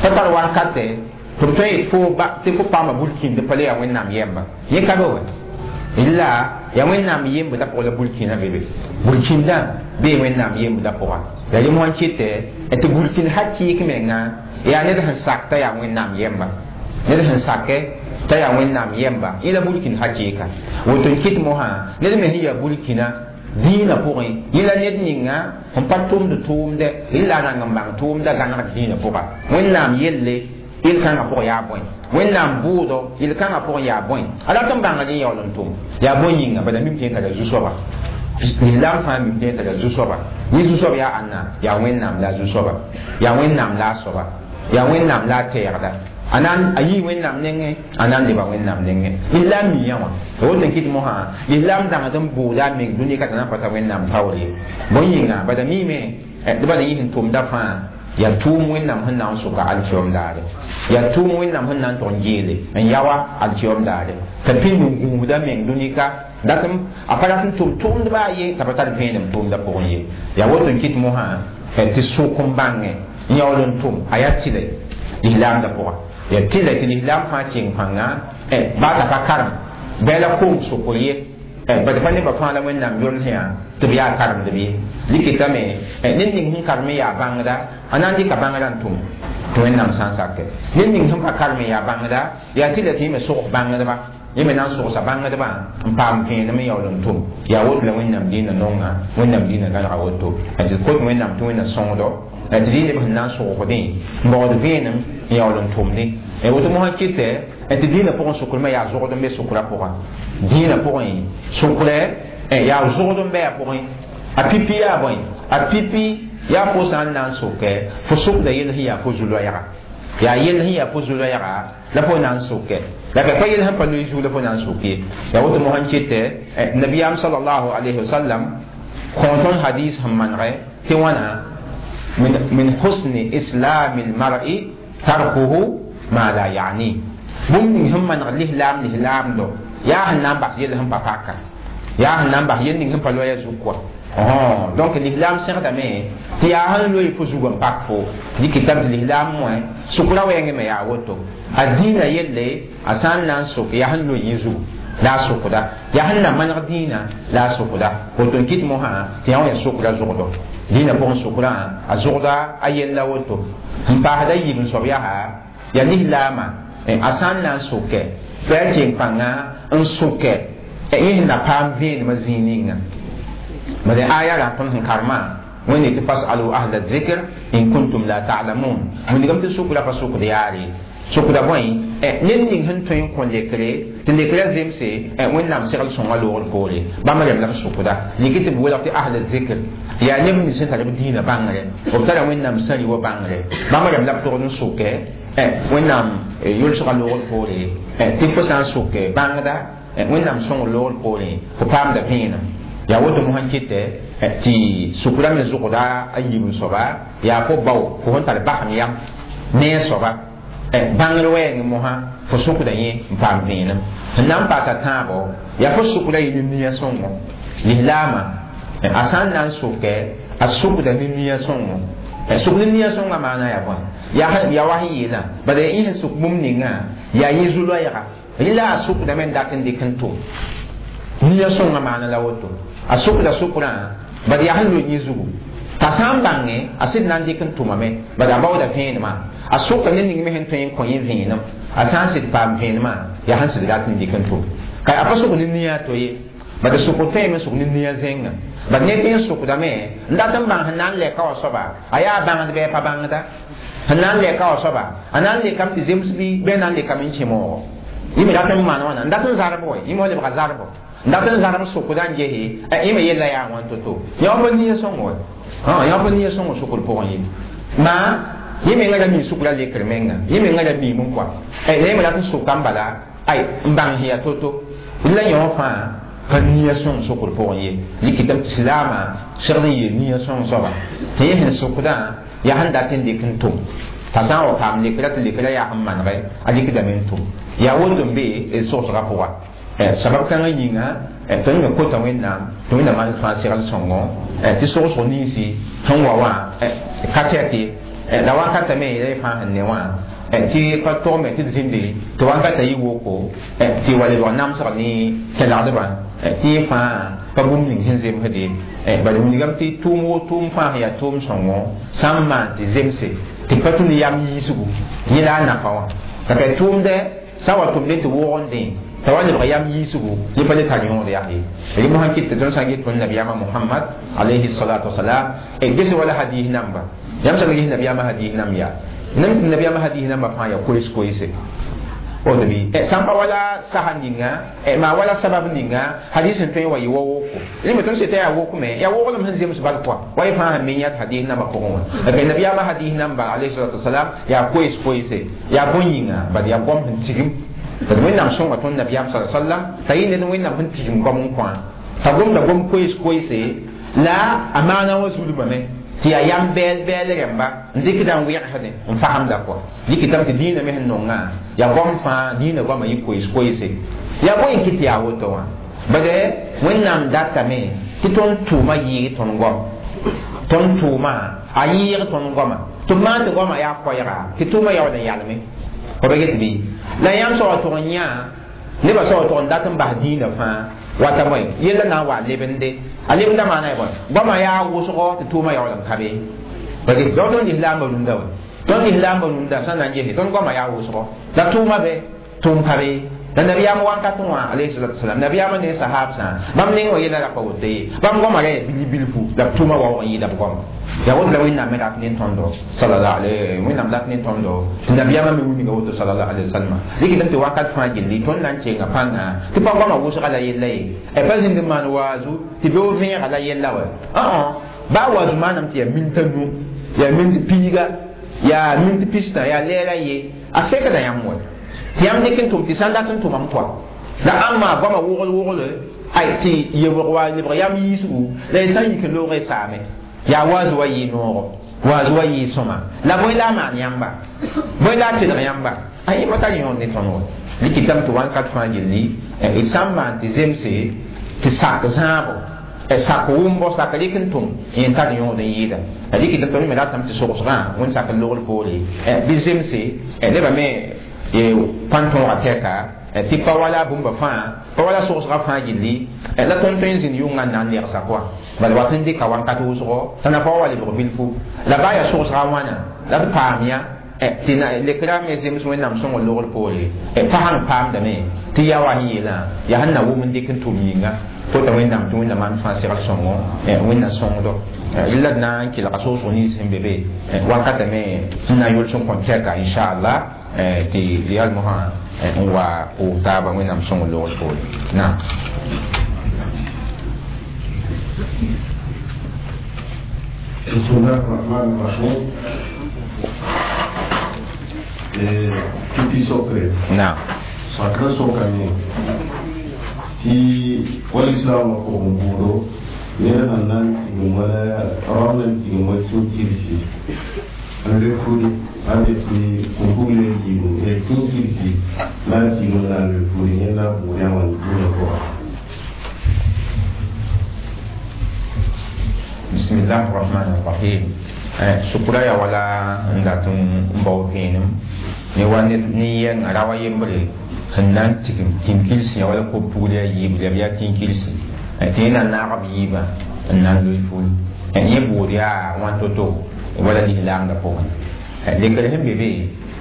pa tar wakatɛ tɩ b tõe yet tɩ fo paama burkindi pa le yaa wẽnnaam yɛmba yẽ ka be wa illa yaa wẽnnaam yembdã pʋgã la burkina be be burkindã bee wẽnnaam yembdã pʋga la rẽ mosã kɩtɛ tɩ burkin hakɩɩk menga yaa ned sẽn sak t'a yaa wẽnnaam yɛmba ned sẽn sakɛ t'a yaa wẽnnaam yɛmba yẽ la burkin hakɩɩka woto n kɩt mosã ned me sẽn yaa burkina dĩinã pʋgẽ yẽ la ned ninga sẽn pa tʋmd tʋʋmdɛ yẽ la a rãng n bãng tʋʋmda gãnegd dĩinã pʋga wẽnnaam yelle yel-kãngã pʋgẽ yaa bõe wẽnnaam bʋʋdo yel-kãngã pʋgẽ yaa bõe a rat n bãngd n yaool n tʋm yaa bõe yĩnga bala mim tɩ yẽ tara zu-soaba lislaam fãa mim tɩ yẽ tara zu-soaba yẽ zu-soab yaa ãnna yaa wẽnnaam la a zu-soaba yaa wẽnnaam la a soaba yaa wẽnnaam la a tɛɛgda a na a yii wẽnnaam nengẽ a na n leba wẽnnaam nengẽ lislaam miã wã tɩ woto n kɩt mosã lislaam dãngd n bʋʋda a meng dũni ka t'a na n pa ta wẽnnaam taoor ye bõe yĩnga bala miime tɩ bala yɩs n tʋmda fãa yaa tʋʋm wẽnnaam sẽn na n sʋka alkiom daare yaa tʋʋm wẽnnaam sẽn na n tʋg n geele n yawa alkiom daare t'a pĩnd n gũusda meng dũni ka datɩm a pa rat n tʋm tʋʋmdbã a ye t'a pa tar vẽenem tʋʋmda pʋgẽ ye yaa woto n kɩt mosã tɩ sʋk n bãngẽ n yaool n tʋm a yaa tɩlɛ lislaamda pʋga yaa tɩlɛ tɩ lislaam fãa keng pãnga baa t'a pa karem bɩ la koom sʋkr ye bad pa nebã fãa la wẽnnaam yol sẽ tɩ b yaa karemdb ye rɩkɩtame ned ning sẽn karem n yaa bãngda a na n dɩka bãngrã n tʋm tɩ wẽnnaam sã n sakɛ ned ning sẽn pa karem n yaa bãngda yaa tɩ la tɩ yẽ me sogs bãngdba yẽ me na n sogsa bãngdbã n paam vẽenem n yaool n tʋm yaa woto la wẽnnaam dĩinã nonga wẽnnaam dĩinã gãnega woto tɩ kot wẽnnaam tɩ wẽnna sõngdo tɩ dĩ neb sẽn na n sogsdẽ n baood vẽenem n yaool n tʋmdẽ woto mosã kɩtɛ tɩ dĩinã pʋgẽ sʋkrmã yaa zogd n be sʋkrã pʋgã dĩinã pʋgẽ sʋkrɛ yaa zogd n bɩ a pʋgẽ a pipi yaa bõe a pipi yaa fo sã n na n sʋkɛ fo sʋkda yell sẽn yaa fo zu-loɛɛga yaa yell sẽn yaa fo zu-loɛɛga la fo na n sʋkɛ la ka pa yell sẽn pa loe zug la fo na n sʋk ye yaa woto mosã n kɩtɛ nabiyaam salallahu alayhi wasallam kõ tõnd hadis sẽn manegɛ tɩ wãna من حسن إسلام المرء تركه ما لا يعنيه bũmb ning sẽn maneg lislaam lislaamdo yaa sẽn na n bas yell sẽn pa paka yaa sẽn na n bas yell ning sẽn pa loɛɛ zug kɔa donc lislaam segdame tɩ yaa sẽn loe fo zug n pak fo dɩkɩtame tɩ lislaam wẽ sʋkra wɛɛngẽ me yaa woto a dĩinã yelle a sã n na n sʋk yaa sẽn loe yẽ zugu la a sʋkda yaa sẽn na maneg dĩinã la a sʋkda woto n kɩt mosã tɩ yã wã yaa sʋkra zʋgdo dĩinã pʋgẽ sʋkrã a zʋgda a yella woto n paasda yiib n soab yaa yaa lislaamã a sã n na n sʋkɛ tɩ a keng pãnga n sʋkɛ yẽ sẽn na paam vẽenemã zĩig ninga bala aya rã tõnd sẽn karemã Wẽnde tɩ fasalu ahla zikr in kuntum la ta'lamun. Wilgame tɩ sukra pa sukd yaare sukda bõe ned ning sẽn tõe n kõ lekre tɩ lekrã zemse Wẽnnaam segl sõngã loogr poore bãmb rem la b sukda liki tɩ b welg tɩ ahla zikr yaa neb nins sẽn tar b dĩinã bãngre b tara Wẽnnaam sã rɩ wa bãngre bãmb rem la b togd n sʋkɛ Wẽnnaam yʋlsgã loogr poore tɩ fo sã n sʋk bãngda Wẽnnaam sõngr loogr poore fo paamda vẽenem yaa woto mosã n kɩtɛ tɩ sukra me zʋgda a yiib n soaba yaa fo bao fo sẽn tar basem yam ne a soaba bãngr wɛɛngẽ mosã fo sʋkda yẽ n paam vẽenem sẽn na n paasa tãabo yaa fo sʋkda yɩ ne nia sõngo lislaamã a sã n na n sʋkɛ a sʋkda ne nia sõngo sʋk ne nia sõngã maana yaa bõe yaa wa sẽn yeelã bala yaa ẽ sẽn sʋk bũmb ninga yaa yẽ zu-loɛɛga rẽ la a sʋkdame n dat n dɩk n tʋm nia sõngã maana la woto a sʋkda sʋkrã bad yaa sẽn loe yẽ zugu t'a sã n bãnge a sɩd na n dɩk n tʋmame bad a baooda vẽenemã a sʋka ne ning me sẽn tõe n kõ yẽ vẽenem a sã n sɩd paam vẽenemã yaa sẽn sɩd rat n dɩk n tʋm ka a pa sʋk ne nia to ye bad sʋk tõeme sʋk ne nia zẽnga bad ned tẽ n sʋkdame n dat n bãng sẽn na n lɛka wã soaba a yaa bãngd bɩ a pa bãngda sẽn na n lɛka wã soaba a na n lekame tɩ zems bɩ a na n lekame n kẽ moogo yẽ me rat n maan wãna n dat n zarb wa yẽ me wa lebga zarbo n dat n zarb sʋkda n gese yẽ me yella yaa wãn to-to yã pa nia sõngo wa yã pa nia sõngo sʋkr pʋgẽ ye maa yẽ menga ra mi sʋkra lekr menga yẽ menga ra miime n kɔa la yẽ me rat n sʋka n bala ay n bãng sẽn yaa to-to la yõ fãa pa nia sõng sʋkr pʋgẽ ye rɩkɩtame tɩ silaamã segd n yeel nia sõng soaba tɩ yẽ sẽn sʋkdã yaa sẽn dat n dɩk n tʋm t'a sã n wa paam lekra tɩ lekra yaa sẽn manegɛ a rɩkdame n tʋm yaa woto n be d sogsgã pʋga sabab kãngã yĩnga tõnd me kota Wẽnnaam tɩ Wẽnnaam maan fãa segl sõngo tɩ sogsg ninsi sẽn wa wã ka tɛk ye la wakata me ya fãa sẽn ne wã tɩ pa togme tɩ d zĩnde tɩ wakata yɩ woko tɩ wa lebg namsg ne kẽlgdbã tɩ yẽ fãa pa bũmb ning sẽn zemsde bala wilgame tɩ tʋʋm wo tʋʋm fãa sẽn yaa tʋʋm sõngo sã n maan tɩ zemse tɩ pa tũ ne yam yiisgu yẽ la a nafa wã la ka tʋʋmdɛ sã n wa tʋmdẽ tɩ wʋgende t'a wa lebg yam yiisgu yẽ pa le tar yõod yaa ye rẽ mosã kɩt tɩ tõnd sã n get tõnd nabiyaamã Mohamad alayhi salatu wasalam ges wala hadis namba yãmb sã n ges nabiyaamã hadis nam yaa nabiyaamã hadis namba fãa yaa koees koeese woto bɩ sã n pa wala sasa ninga maa wala sabab ninga hadis sẽn tõe n wa yɩ wa woko rẽ me tõnd seta yaa wokme yaa woglem sẽn zems bal pʋa wa yẽ fãa sẽn me yãt hadis nambã pʋgẽ wã la nabiyaamã hadis namba alayhi salatu wasalam yaa koees koeese yaa bõn yĩnga bad yaa goam sẽn tigim d Wẽnnaam sõnga tõnd nabiyaam sa sallam t'a yɩ ned Wẽnnaam sẽn tigim goam n kõ t'a gomda gom koees koeese la a maana wã zulmame tɩ yaa yam bɛɛl bɛɛl rẽmba n dɩkda n wẽgsdẽ n fasemda kɔa dɩkɩtame tɩ dĩinã me sẽn nongã yaa goam fãa dĩinã goamã yɩ koees koeese yaa bõe n kɩt tɩ yaa woto wã bade Wẽnnaam datame tɩ tõnd tʋʋma yɩɩg tõnd goam tõnd tʋʋma a yɩɩg tõnd goama tɩ b maan tɩ goamã yaa koɛɛga tɩ tʋʋma yaool n yalme fo ba get bɩ la yãmb soaba tʋg n yã nebã soaba tʋg n dat n bas dĩinã fãa wata bõe yella na n wa lebende a lebenda maana ya bõe goamã yaa wʋsgɔ tɩ tʋʋmã yaool n ka be ba tõnd lislaambã rũndã wa tõnd lislaambã rũndã sã n na n gese tõnd goamã yaa wʋsgɔ la tʋʋma be tʋʋm ka be la nabiyaam wakat wã alayhi salatu wasalam nabiyaamã ne sahabsã bãmb neng wã yella ra pa woto ye bãmb goamã ra yaa bil bilfu la b tʋʋmã waoog n yɩɩda b goama yaa woto la Wẽnnaam me rat ne tõndo sallallahu alayhi Wẽnnaam rat ne tõndo tɩ nabiyaamã me wilga woto sallallahu alayhi wasallam rɩkdame tɩ wakat fãa gilli tõnd na n kenga pãnga tɩ pa goamã wʋsga la yella ye pa zĩnd n maan waazu tɩ beoog vẽega la yella wa baa waazu maaname tɩ yaa minta nu yaa mint piiga yaa mint pistã yaa lɛɛra ye a sekda yãmb wa tɩ yãmb dɩk n tʋm tɩ sã n dat n tʋmam pʋa la ãmba goamã wogl wogl ay tɩ yebg wa lebg yam yiisgu la y sã n yik n loog y saame yaa waazu wa yɩ noogo waazu wa yɩ sõma la bõe la a maan yãmba bõe la a tɩlg yãmba a yẽ pa tar yõod ne tõnd wa rɩkɩtame tɩ wãnkat fãa gilli d sã n maan tɩ zemse tɩ sak zãabo sak wʋmbo sak rɩk n tʋm yẽ tar yõod n yɩɩda rɩkɩtame tõnd me ratame tɩ sogsgã wẽnd sak n logr poore bɩ zemse nebã me pãn-tõogã tɛka tɩ pa wala bũmba fãa pa wala sogsgã fãa gilli la tõnd tõe n zĩnd yʋngã n na n lɛgsa kɔa bala wat n dɩka wãnkat wʋsgo t'a na pa wa lebg bilfu la baa yaa sogsgã wãna la d paam yã Tɩ lekra me zems wẽnnaam sõngr logr poore pa sãn paamdame tɩ yaa wa sẽn yeelã yaa sẽn na wʋm n dɩk n tʋm yĩnga fo t'a wẽnnaam tɩ wẽnnaam maan fãa segl sõngo wẽnna sõngdo rɩla d na n kelga soosg nins sẽn be be wakatã me n na n yols n kõ tɛka inchallah tɩ yal mosã n wa pʋʋs taaba wẽnnaam sõngr logr poore naam. بسم الله الرحمن الرحيم. Tɩ sokre. Naam. Sakra sokame tɩ wala islaamã pʋgẽ buudo ned sẽn na n tigim wala rao na n tigim wa kĩnkirsi n re furi a be tɩ kũpugle n tigim kĩnkirsi la n tigim la n re furi yẽnda buud yã wãn dũnã pʋga. بسم الله الرحمن الرحيم. Sukura ya wala n dat n bao vẽenem ne wa ne yɛnga ra wa yembre sẽn na n tigim kĩnkirsi ya wala ko-pugl ya yiib la b yaa kĩnkirsi tɩ yẽ na naag b yiibã n na n loe ful yẽ buud yaa wãn to-to wala lislaamdã pʋgẽ lekr sẽn be be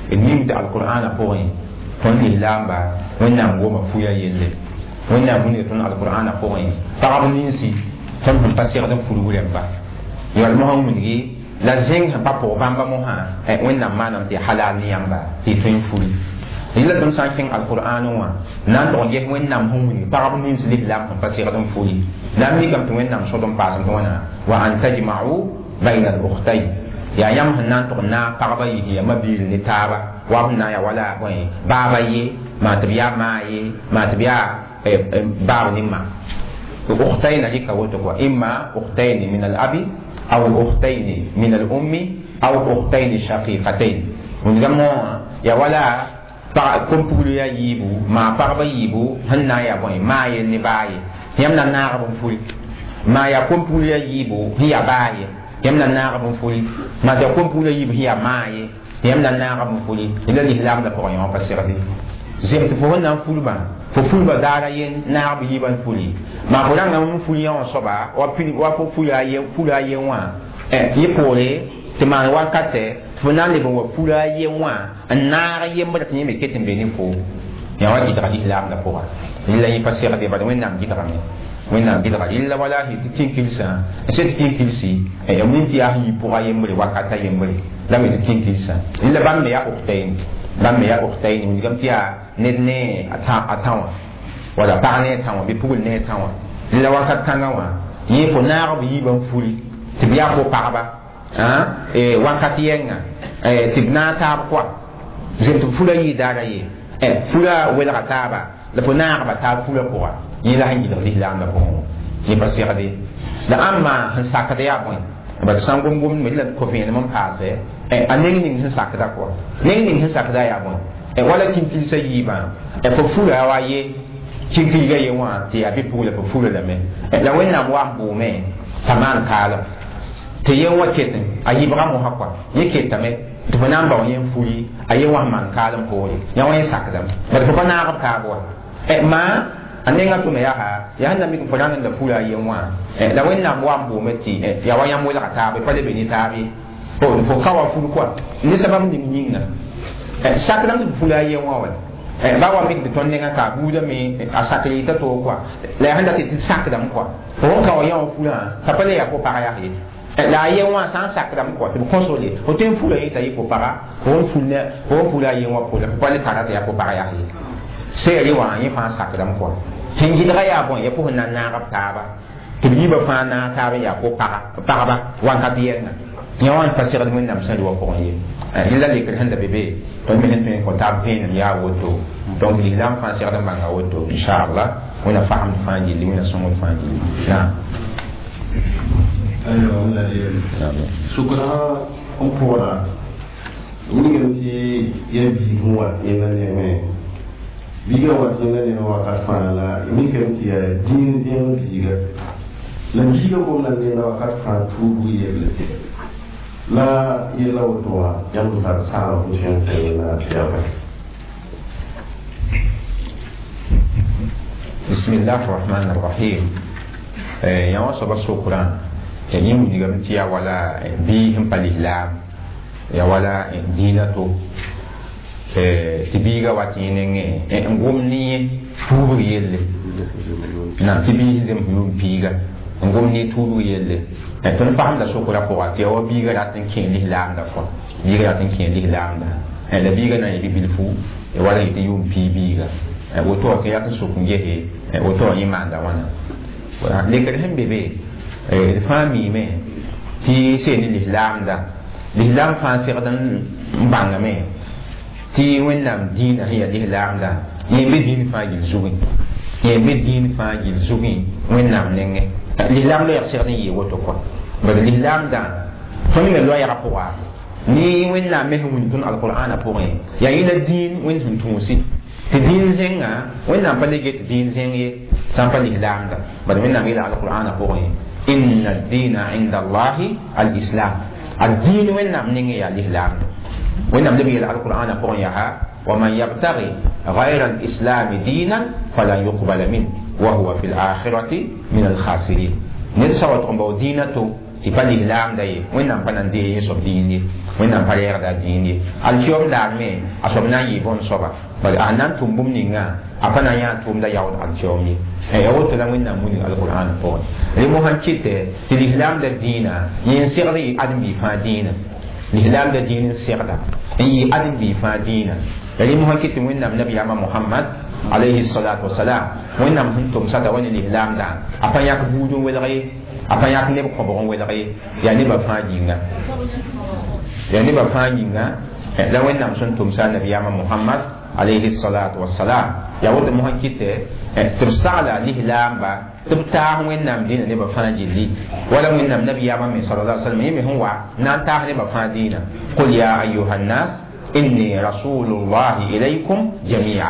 d ning tɩ alqur'ana pʋgẽ tõnd lislaamba wẽnnaam gooma fuya yelle wẽnnaam wilga tõnd alqur'ana pʋgẽ pagb ninsi tõnd sẽn pa segd n purg rẽmba yal mosã wilgi la zẽng sẽn pa pʋg bãmba mosã wẽnnaam maanam tɩ halal ne yãmba tɩ y tõe n furi rɩla tõnd sã n kẽng alqur'an wã na n tog n ges wẽnnaam sẽn wilg pagb nins lislaam sẽn pa segd n furi la n mikame tɩ wẽnnaam sod n paasem tɩ wãna wa an tajma'u bayna al ukhtayn yaa yãmb sẽn na n tog n naag pagba yis ya mabiil ne taaba wa b sẽn na n yaa wala bõe baaba ye maa tɩ b yaa maa ye maa tɩ b yaa baab ne ma ukhtayn rɩka woto kɔa imma ukhtayn min al abi أو أختين من الأم أو أختين شقيقتين ونجمع يا ولا كم بقول يا يبو ما بعرف يبو هن يا بوي ما ينباي يمنا نعرف فول ما يا كم بقول يا يبو هي باي يمنا نعرف فول ما يا كم بقول يبو هي ماي يمنا نعرف فول إلا الإسلام ده قرآن بس يردي زين تفهمنا فول با fo fulba daara yen naag b yiibã fuli maa fo rãnga n ful yã wã soaba wa fo fula a yen wã yẽ poore tɩ maan wakatɛ tɩ fo na n leb n wa fula a yen wã n naag yembr tɩ yẽ me ket n be ne fo yã wa gɩdga lislaamdã pʋga rɩla yẽ pa segde bad wẽnnaam gɩdgame wẽnnaam gɩdga rɩla walahi tɩ kĩnkilsã n sẽn tɩ kĩnkilsi ya nin tɩ yaa sẽn yi pʋga yembre wakata yembre la me tɩ kĩnkilsã rɩla bãmb me yaa ukhtayn bãmb me yaa ukhtayn wilgame tɩ yaa ned ne a tã wã wala pag ne a tã wã bɩ pugl ne a tã wã la wakat kãngã wã yẽ fo naag b yiibã n fuli tɩ b yaa fo pagba wakat yɛnga tɩ b naag taab kɔa zem tɩ b fula yɩɩ daara ye fula welga taaba la fo naagba taab fula pʋga yẽ la sẽn gɩdg lislaamdã pʋgẽ yẽ pa segde la ãmba sẽn sakd yaa bõe bad sã n gom-gomdme la ko vẽenem n paase a neng ning sẽn sakda kɔa neng ning sẽn sakda yaa bõe wala kĩnkilsã yiibã fo fula wa ye kĩnkilga ye wã tɩ yaa bɩ pugla fo fula lame la wẽnnaam wa n bʋʋme t'a maan kaalem tɩ yen wa ket a yibga mosã kɔa yẽ ketame tɩ fo na n bao yẽ n fuli a yen wa sẽn maan kaalem poore yã wã yẽ sakdame bad fo pa naag b taab wa maa a nenga tʋme yaa yaa sẽn na mik fo rãng n la fula a yen wã la wẽnnaam wa n bʋʋme tɩ yaa wa yãmb welga taab pa le be ne taab ye fo ka wa ful kɔa ne sabab ning yĩnga sakdame tɩ fula a yen wã wa ba wa mik tɩ tõnd nenga ka buudame a sakr yɩta toog kɔa la yaa sẽn dat tɩ sakdame kɔa fo sẽn ka wa yã wã fulã t'a pa le yaa fo pag yaa ye la a yen wã sã n sakdame kɔa tɩ b kõsole fo tõe n fula yẽ t'a yɩ fo paga fo n fula a yen wã poore fo pa le tara tɩ yaa fo pag yaa ye seere wã yẽ fãa sakdame kɔa sẽn gɩdga yaa bõe ya fo sẽn na n naag b taaba tɩ b yiibã fãa naag taab n yaa fo pagba wãnkat yɛnga yã wã n pa segd wẽnnaam sẽn rɩ wã pʋgẽ ye rɩla lekr sẽn da be be tõnd me sẽn tõe n kõ taab vẽenem yaa woto donc lislaam fãa segd n bãnga woto inchallah wẽnna fagemd fãa gilli wẽnna sõngd fãa gilli naam. Sukra n pʋgda wilgame tɩ ya biig n wat yẽnda nengẽ biigã wat yẽnda nengẽ wakat fãa la mikame tɩ yaa dĩin zẽng biiga la biigã gomda nenda wakat fãa tuubg yelle la yella woto wã yãmb tar sãam n tõe n tɩ yẽnda tɩ yaa bõe. بسم الله الرحمن الرحيم. yã wã soaba sokraã yẽ wilgame tɩ yaa wala biig sẽn pa lislaam Ya wala dĩinã to tɩ biiga wa tɩ yẽ nengẽ n gom ne yẽ tuubg yelle nam tɩ biis zems yʋʋm piiga n gom ne tuubg yelle tõnd fasemda sokra pʋga tɩ ya wa biiga rat n kẽ lislaamda fo biiga rat n kẽ lislaamda la biiga na n yɩ bi-bilfu wala yɩ tɩ yʋʋm pii biiga woto wã tɩ rat n sok n gese woto wã yẽ maanda wãna lekr sẽn be be d fãa miime tɩ seen ne lislaamda lislaam fãa segd n bãngame tɩ wẽnnaam dĩinã sẽn yaa lislaamda yẽ be dĩin fãa gill zugẽ yẽ be dĩin fãa gill zugẽ wẽnnaam nengẽ lislaam loɛɛg segd n yɩɩ woto kɔa bad lislaamdã tõnd me loɛɛgã pʋga ne wẽnnaam me sẽn wilg tõnd alqur'ana pʋgẽ yaa yẽ la dĩin wẽnd sẽn tũusi tɩ dĩin zẽnga wẽnnaam pa le get dĩin zẽng ye sã n pa lislaamda bad wẽnnaam yeela alqur'ana pʋgẽ inna ad-dina inda allahi al-islam ad-dĩin wẽnnaam nengẽ yaa lislaamda wẽnnaam leb yeela alqur'ana pʋgẽ yaa ومن يبتغي غير الإسلام دينا فلن يقبل منه وهو في الآخرة من الخاسرين ned sã wa tʋg n bao dĩinã to tɩ pa lislaamda ye wẽnnaam pa na n dee yẽ soab dĩin ye wẽnnaam pa reegda a dĩin ye alkiom daar me a soab na n yɩ bõn-soaba bala a na n tʋm bũmb ninga a pa na n yã tʋʋmda yaood alkiom ye ya woto la wẽnnaam wilg alqur'an pʋgẽ rẽ mosã n kɩtɛ tɩ lislaamda dĩinã yẽ n segd yɩ ãdem-biig fãa dĩinã lislaamda dĩin n segda n yɩ ãdem-biig fãa dĩinã la rẽ mosã kɩt tɩ wẽnnaam nabiyaamã mohamad alayhi salatu wasalam wẽnnaam sẽn tʋmsa t'a wa ne lislaamdã a pa yãk buud n welg ye a pa yãk neb kõbg n welg ye yaa nebã fãa yĩnga yaa nebã fãa yĩnga la wẽnnaam sẽn tʋmsa nabiyaamã mohamad alayhi salatu wasalam yaa woto mosã kɩtɛ tɩ b sagla lislaamba tɩ b taas wẽnnaam dĩinã nebã fãa gilli wala wẽnnaam nabiyaamã me sala la sallam yẽ me sẽn wa na n taas nebã fãa dĩinã qul ya ayuha nnas inni rasulullahi ilaykum jamia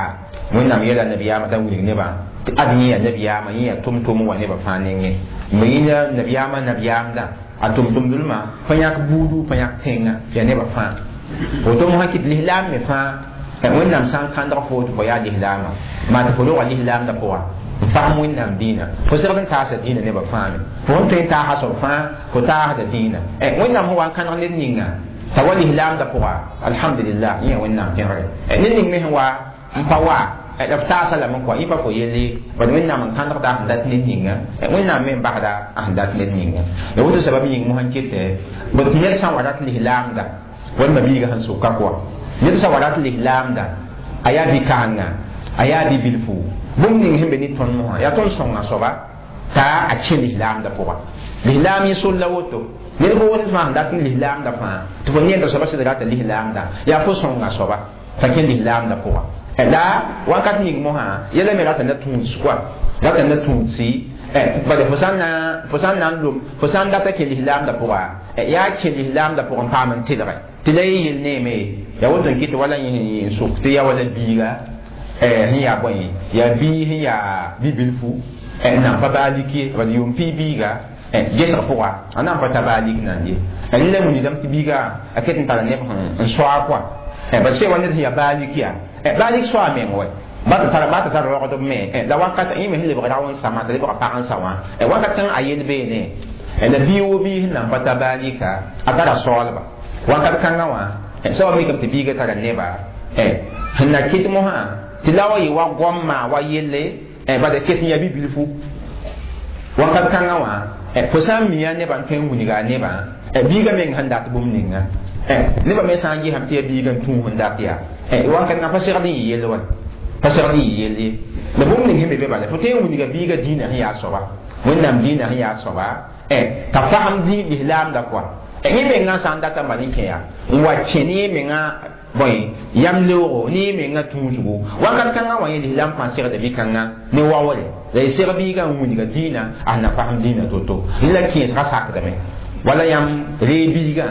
wẽnnaam yeela nabiyaamã t'a wilg nebã tɩ ad yẽ yaa nabiyaamã yẽ yaa tʋm-tʋm n wa nebã fãa nengẽ me yẽ nabiyaamã nabiyaamdã a tʋm-tʋmdlmã pa yãk buudu pa yãk tẽngã yaa nebã fãa woto mosã kɩt lislaam me fãa wẽnnaam sã n kãndg fo tɩ fo yaa lislaamã maa tɩ fo roga lislaamdã pʋga n fasem wẽnnaam dĩinã fo segd n taasa dĩinã nebã fãa me fo sẽn tõe n taasa soab fãa fo taasda dĩinã wẽnnaam sẽn wa n kãneg ned ninga t'a wa lislaamdã pʋga alhamdulillah yẽ wẽnnaam pẽgre ned ning me sẽn wa n pa wa la f taasa lame kɔa yẽ pa fo yelle bad wẽnnaam n kãndgda a sẽn dat ned ninga wẽnnaam me n basda a sẽn dat ned ninga la woto sabab yĩng mosã n kɩtɛ bd ned sã n wa rat lislaamda walma biiga sẽn soka kɔa ned sã wa rat lislaamda a yaa bi-kãsenga a yaa bi-bilfu bũmb ning sẽn be ne tõnd mosã yaa tõnd sõnga soaba t'a a kẽ lislaamda pʋga lislaam yẽ sol la woto ned boosd fãa sẽn dat n lislaamda fãa tɩ fo neenda soaba sɩd rata lislaamda yaa fo sõnga soaba t'a kẽ lislaamda pʋga la wakat ning mosã yɛla me rata na tũuds kɔa rata na tũudsi bala fo sã n na n lom fo sã n data kẽ lislaamda pʋga yaa kẽ lislaamda pʋgẽ paam n tɩlge tɩ la yẽ yel neeme yaa woto n kɩt wala yẽ n sok tɩ yaa wala biiga sẽn yaa bõe yaa bii sẽn yaa bi-bilfu n nan pa baa lik ye bad yʋʋm pii biiga gesg pʋga a nan pa ta baa lik nan ye la wilgdame tɩ biiga a ket n tara neb n soa kɔa bad sẽn wa ned sẽn yaa baa lik yaa baa lik soa meng wɛ ba tɩ tar rogdb me la wakat yẽ me sẽn lebg rao n sama t'a lebga pag n sa wã wakat kãng a yel beene la bii wo bii sẽn nan pa ta baa lika a tara soaalba wakat kãngã wã sã wa mikame tɩ biiga tara neba sẽn na kɩt mosã tɩ la wa yɩ wa goamma wa yelle bad ket n yaa bi-bilfu wakat kãngã wã fo sã n mia nebã n tõe n wilga a nebã biiga meng sẽn dat bũmb ninga nebã me sã n gesame tɩ yaa biiga n tũus n dat yaa wakat kãngã pa segd n yɩ yell wa pa segd n yɩ yell ye la bũmb ning sẽn be be bala fo tõe n wilga biiga dĩinã sẽn yaa soaba wẽnnaam dĩinã sẽn yaa soaba t'a fasem lislaamda kɔa yẽ mengã sã n data n bal n kẽ yaa n wa kẽ ne yẽ mengã bõe yam leoogo ne yẽ mengã tũusgo wakat kãngã wã yẽ lislaam fãa segda bi-kãngã ne waoore la y seg biigã n wilga dĩinã a sẽn na fasem dĩinã to-to la kẽesgã sakdame wala yãmb ree biigã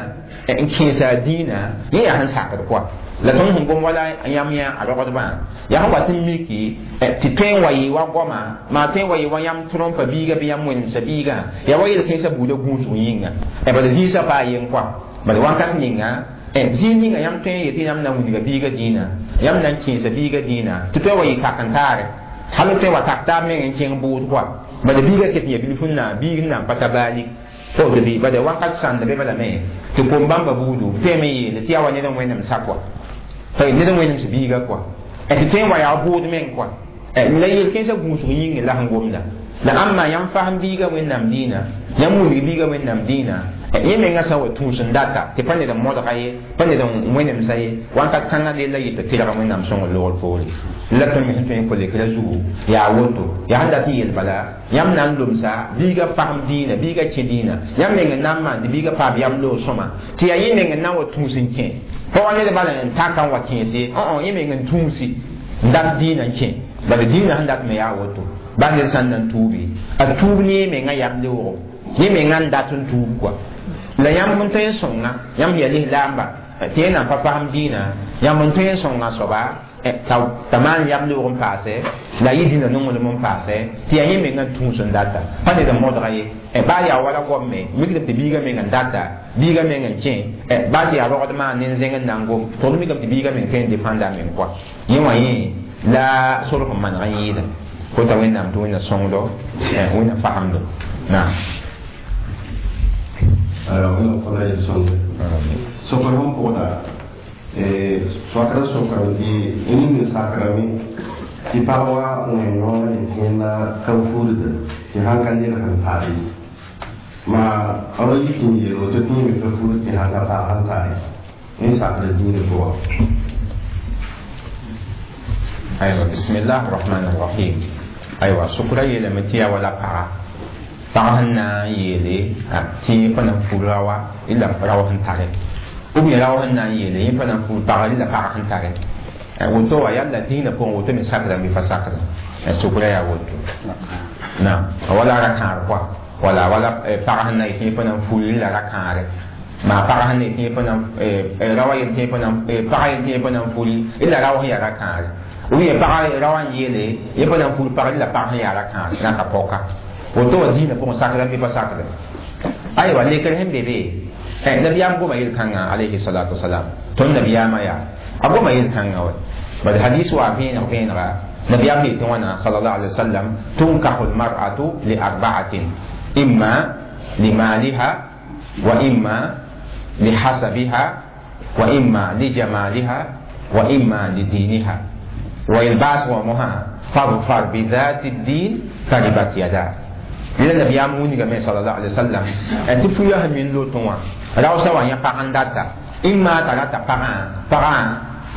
n kẽesa a dĩinã yẽ yaa sẽn sakd kɔa la tõnd sẽn gom wala yãmb yã a rogdbã yaa sẽn wat n miki tɩ tõe n wa yɩ wa goama maa tõe n wa yɩ wa yãmb trõmpa biiga bɩ yãmb wẽnemsa biigã yaa wa yel-kẽesã buudã gũusg yĩnga bala zĩisã paa yen kɔa bala wakat ninga zĩig ninga yãmb tõe n yetɩ yãmb na n wilga biiga dĩinã yãmb na n kẽesa biiga dĩinã tɩ tõe n wa yɩ kak n taare hal tõe n wa tak taab meng n kẽng bʋʋd kɔa bala biiga ket n yaa bilf n na biig n na n pa ta baalik O tɩ bɩ bala wakat sãnda be balame tɩ kom bãmba buudu tõeme yeele tɩ yaa wa ned n wẽnnem sa kɔa ned n wẽnem sã biiga kɔa tɩ tõe n wa yaa bʋʋd meng kɔa la yel-kẽensã gũusg yĩngẽ la sẽn gomda la ãmba yãmb fasem biiga wẽnnaam dĩinã yãmb wilg biiga wẽnnaam dĩinã yẽ menga sã n wa tũus n data tɩ pa ned n modga ye pa ned n wẽnemsa ye wãnkat kãngã rella yɩ tɩ tɩlga wẽnnaam sõngr loogr poore la tõnd me sẽn tõe n kolekra zugu yaa woto yaa sẽn dat n yel bala yãmb na n lomsa biiga fasem dĩinã biiga kẽ dĩinã yãmb meng n na n maan tɩ biiga paam yam loog sõma tɩ yaa yẽ meng n na n wa tũus n kẽ pa wa ned bala n taka n wa kẽes ye yẽ meng n tũusi n dat dĩinã n kẽ bala dĩinã sẽn dat me yaa woto ba ned sã n na n tuubi a tuub ne yẽ menga yam leoogo yẽ menga n dat n tuub kɔa la yãmb n tõe n sõnga yãmb yaa lislaamba tɩ yẽ nan pa fasem dĩinã yãmb n tõe n sõnga soaba t'a maan yam leoog n paase la yɩ dĩnã nonglem n paase tɩ yaa yẽ menga n tũus n data pa ned n modga ye baa yaa wala gomme mikdame tɩ biiga meng n data biiga meng n kẽ baa tɩ yaa rogd maan ne n zẽng n na n gom tʋgd mikame tɩ biiga meng tõe n defãnda a meng kɔa yẽ wã yẽ la sorg n maneg n yɩɩda kota wẽnnaam tɩ wẽnna sõngdo wẽnna fasemdo naam. Wẽnnaam kõna yel sõnde sokr sẽn pʋgda soakra sokrame tɩ ning n sakrame tɩ pag wa wẽ yõ yetɩ yẽnda ka fuudda tɩ sãn ka ned sẽn tare maa b ra yik n yeel woto tɩ yẽ me ka fuud tɩ sãn ka pag sẽn tare yẽ sakra dĩinã pʋga. Aywa, bismillah rahman rahim. Aywa, sokra yeelame tɩ yaa wala paga pag sẽn na n yeele tɩ yẽ pa na n fur raoa la rao sẽn tare ou bien rao sẽn na n yeele yẽ pa na n fur paga la pag sẽn tare woto wa yalla dĩinã pʋgẽ woto me sakra bɩ pa sakra sokra yaa woto naam wala ra-kãar kɔa wala wala pag sẽn na yetɩ yẽ pa na n fur la ra-kãare maa pag sẽn na yetɩ yẽ pa na raoa yel tɩ yẽ pa na pag yel tɩ yẽ pa na n furi la rao sẽn yaa ra-kãare ou bien pag raoã n yeele yẽ pa na n fur pag la pag sẽn yaa ra-kãare na ka pɔka woto wa dĩinã pʋgẽ sakra bɩ pa sakra aywa lekr sẽn be be nabiyaam goma yel-kãngã alayhi salatu wasalam tõnd nabiyaamã yaa a goma yel-kãngã wa bad hadis wa vẽeneg vẽenega nabiyaam yetɩ wãna sallallahu alaihi wasallam tunkahu lmar'atu li arba'atin imma limaliha wa imma lihasabiha wa imma lijamaliha wa imma lidiniha wa yel-baasg wã mosã fadfar bidhati ddin taribat yada la nabiyaam wilgame sallallahu alaihi wasallam tɩ fuya sẽn min lotẽ wã raoosã wa yã pag n data imma t'a rata pagã pagã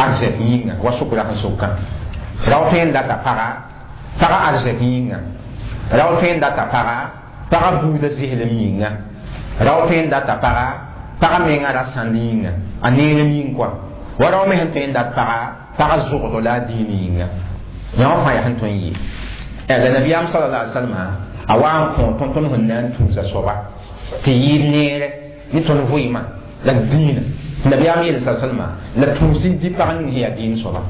arzɛk yĩnga wa sʋkra sẽn sʋkã rao tõe n data paga paga arzɛk yĩnga rao tõe n data paga paga buudã zɩslem yĩnga rao tõe n data paga paga menga ra sãnd yĩnga a neerem yĩng kɔa wa rao me sẽn tõe n dat paga paga zʋgdo la a dĩin yĩnga yã wã fãa yaa sẽn tõe n yɩ la nabiyaam sallallahu alaihi wasallam a wa n kõ tõnd tõnd sẽn na n tũusa soaba tɩ yɩɩd neere ne tõnd vɩɩmã la dĩinã nabiyaam yeel sa salma la tũusi dɩ pag ning sẽn yaa dĩin soaba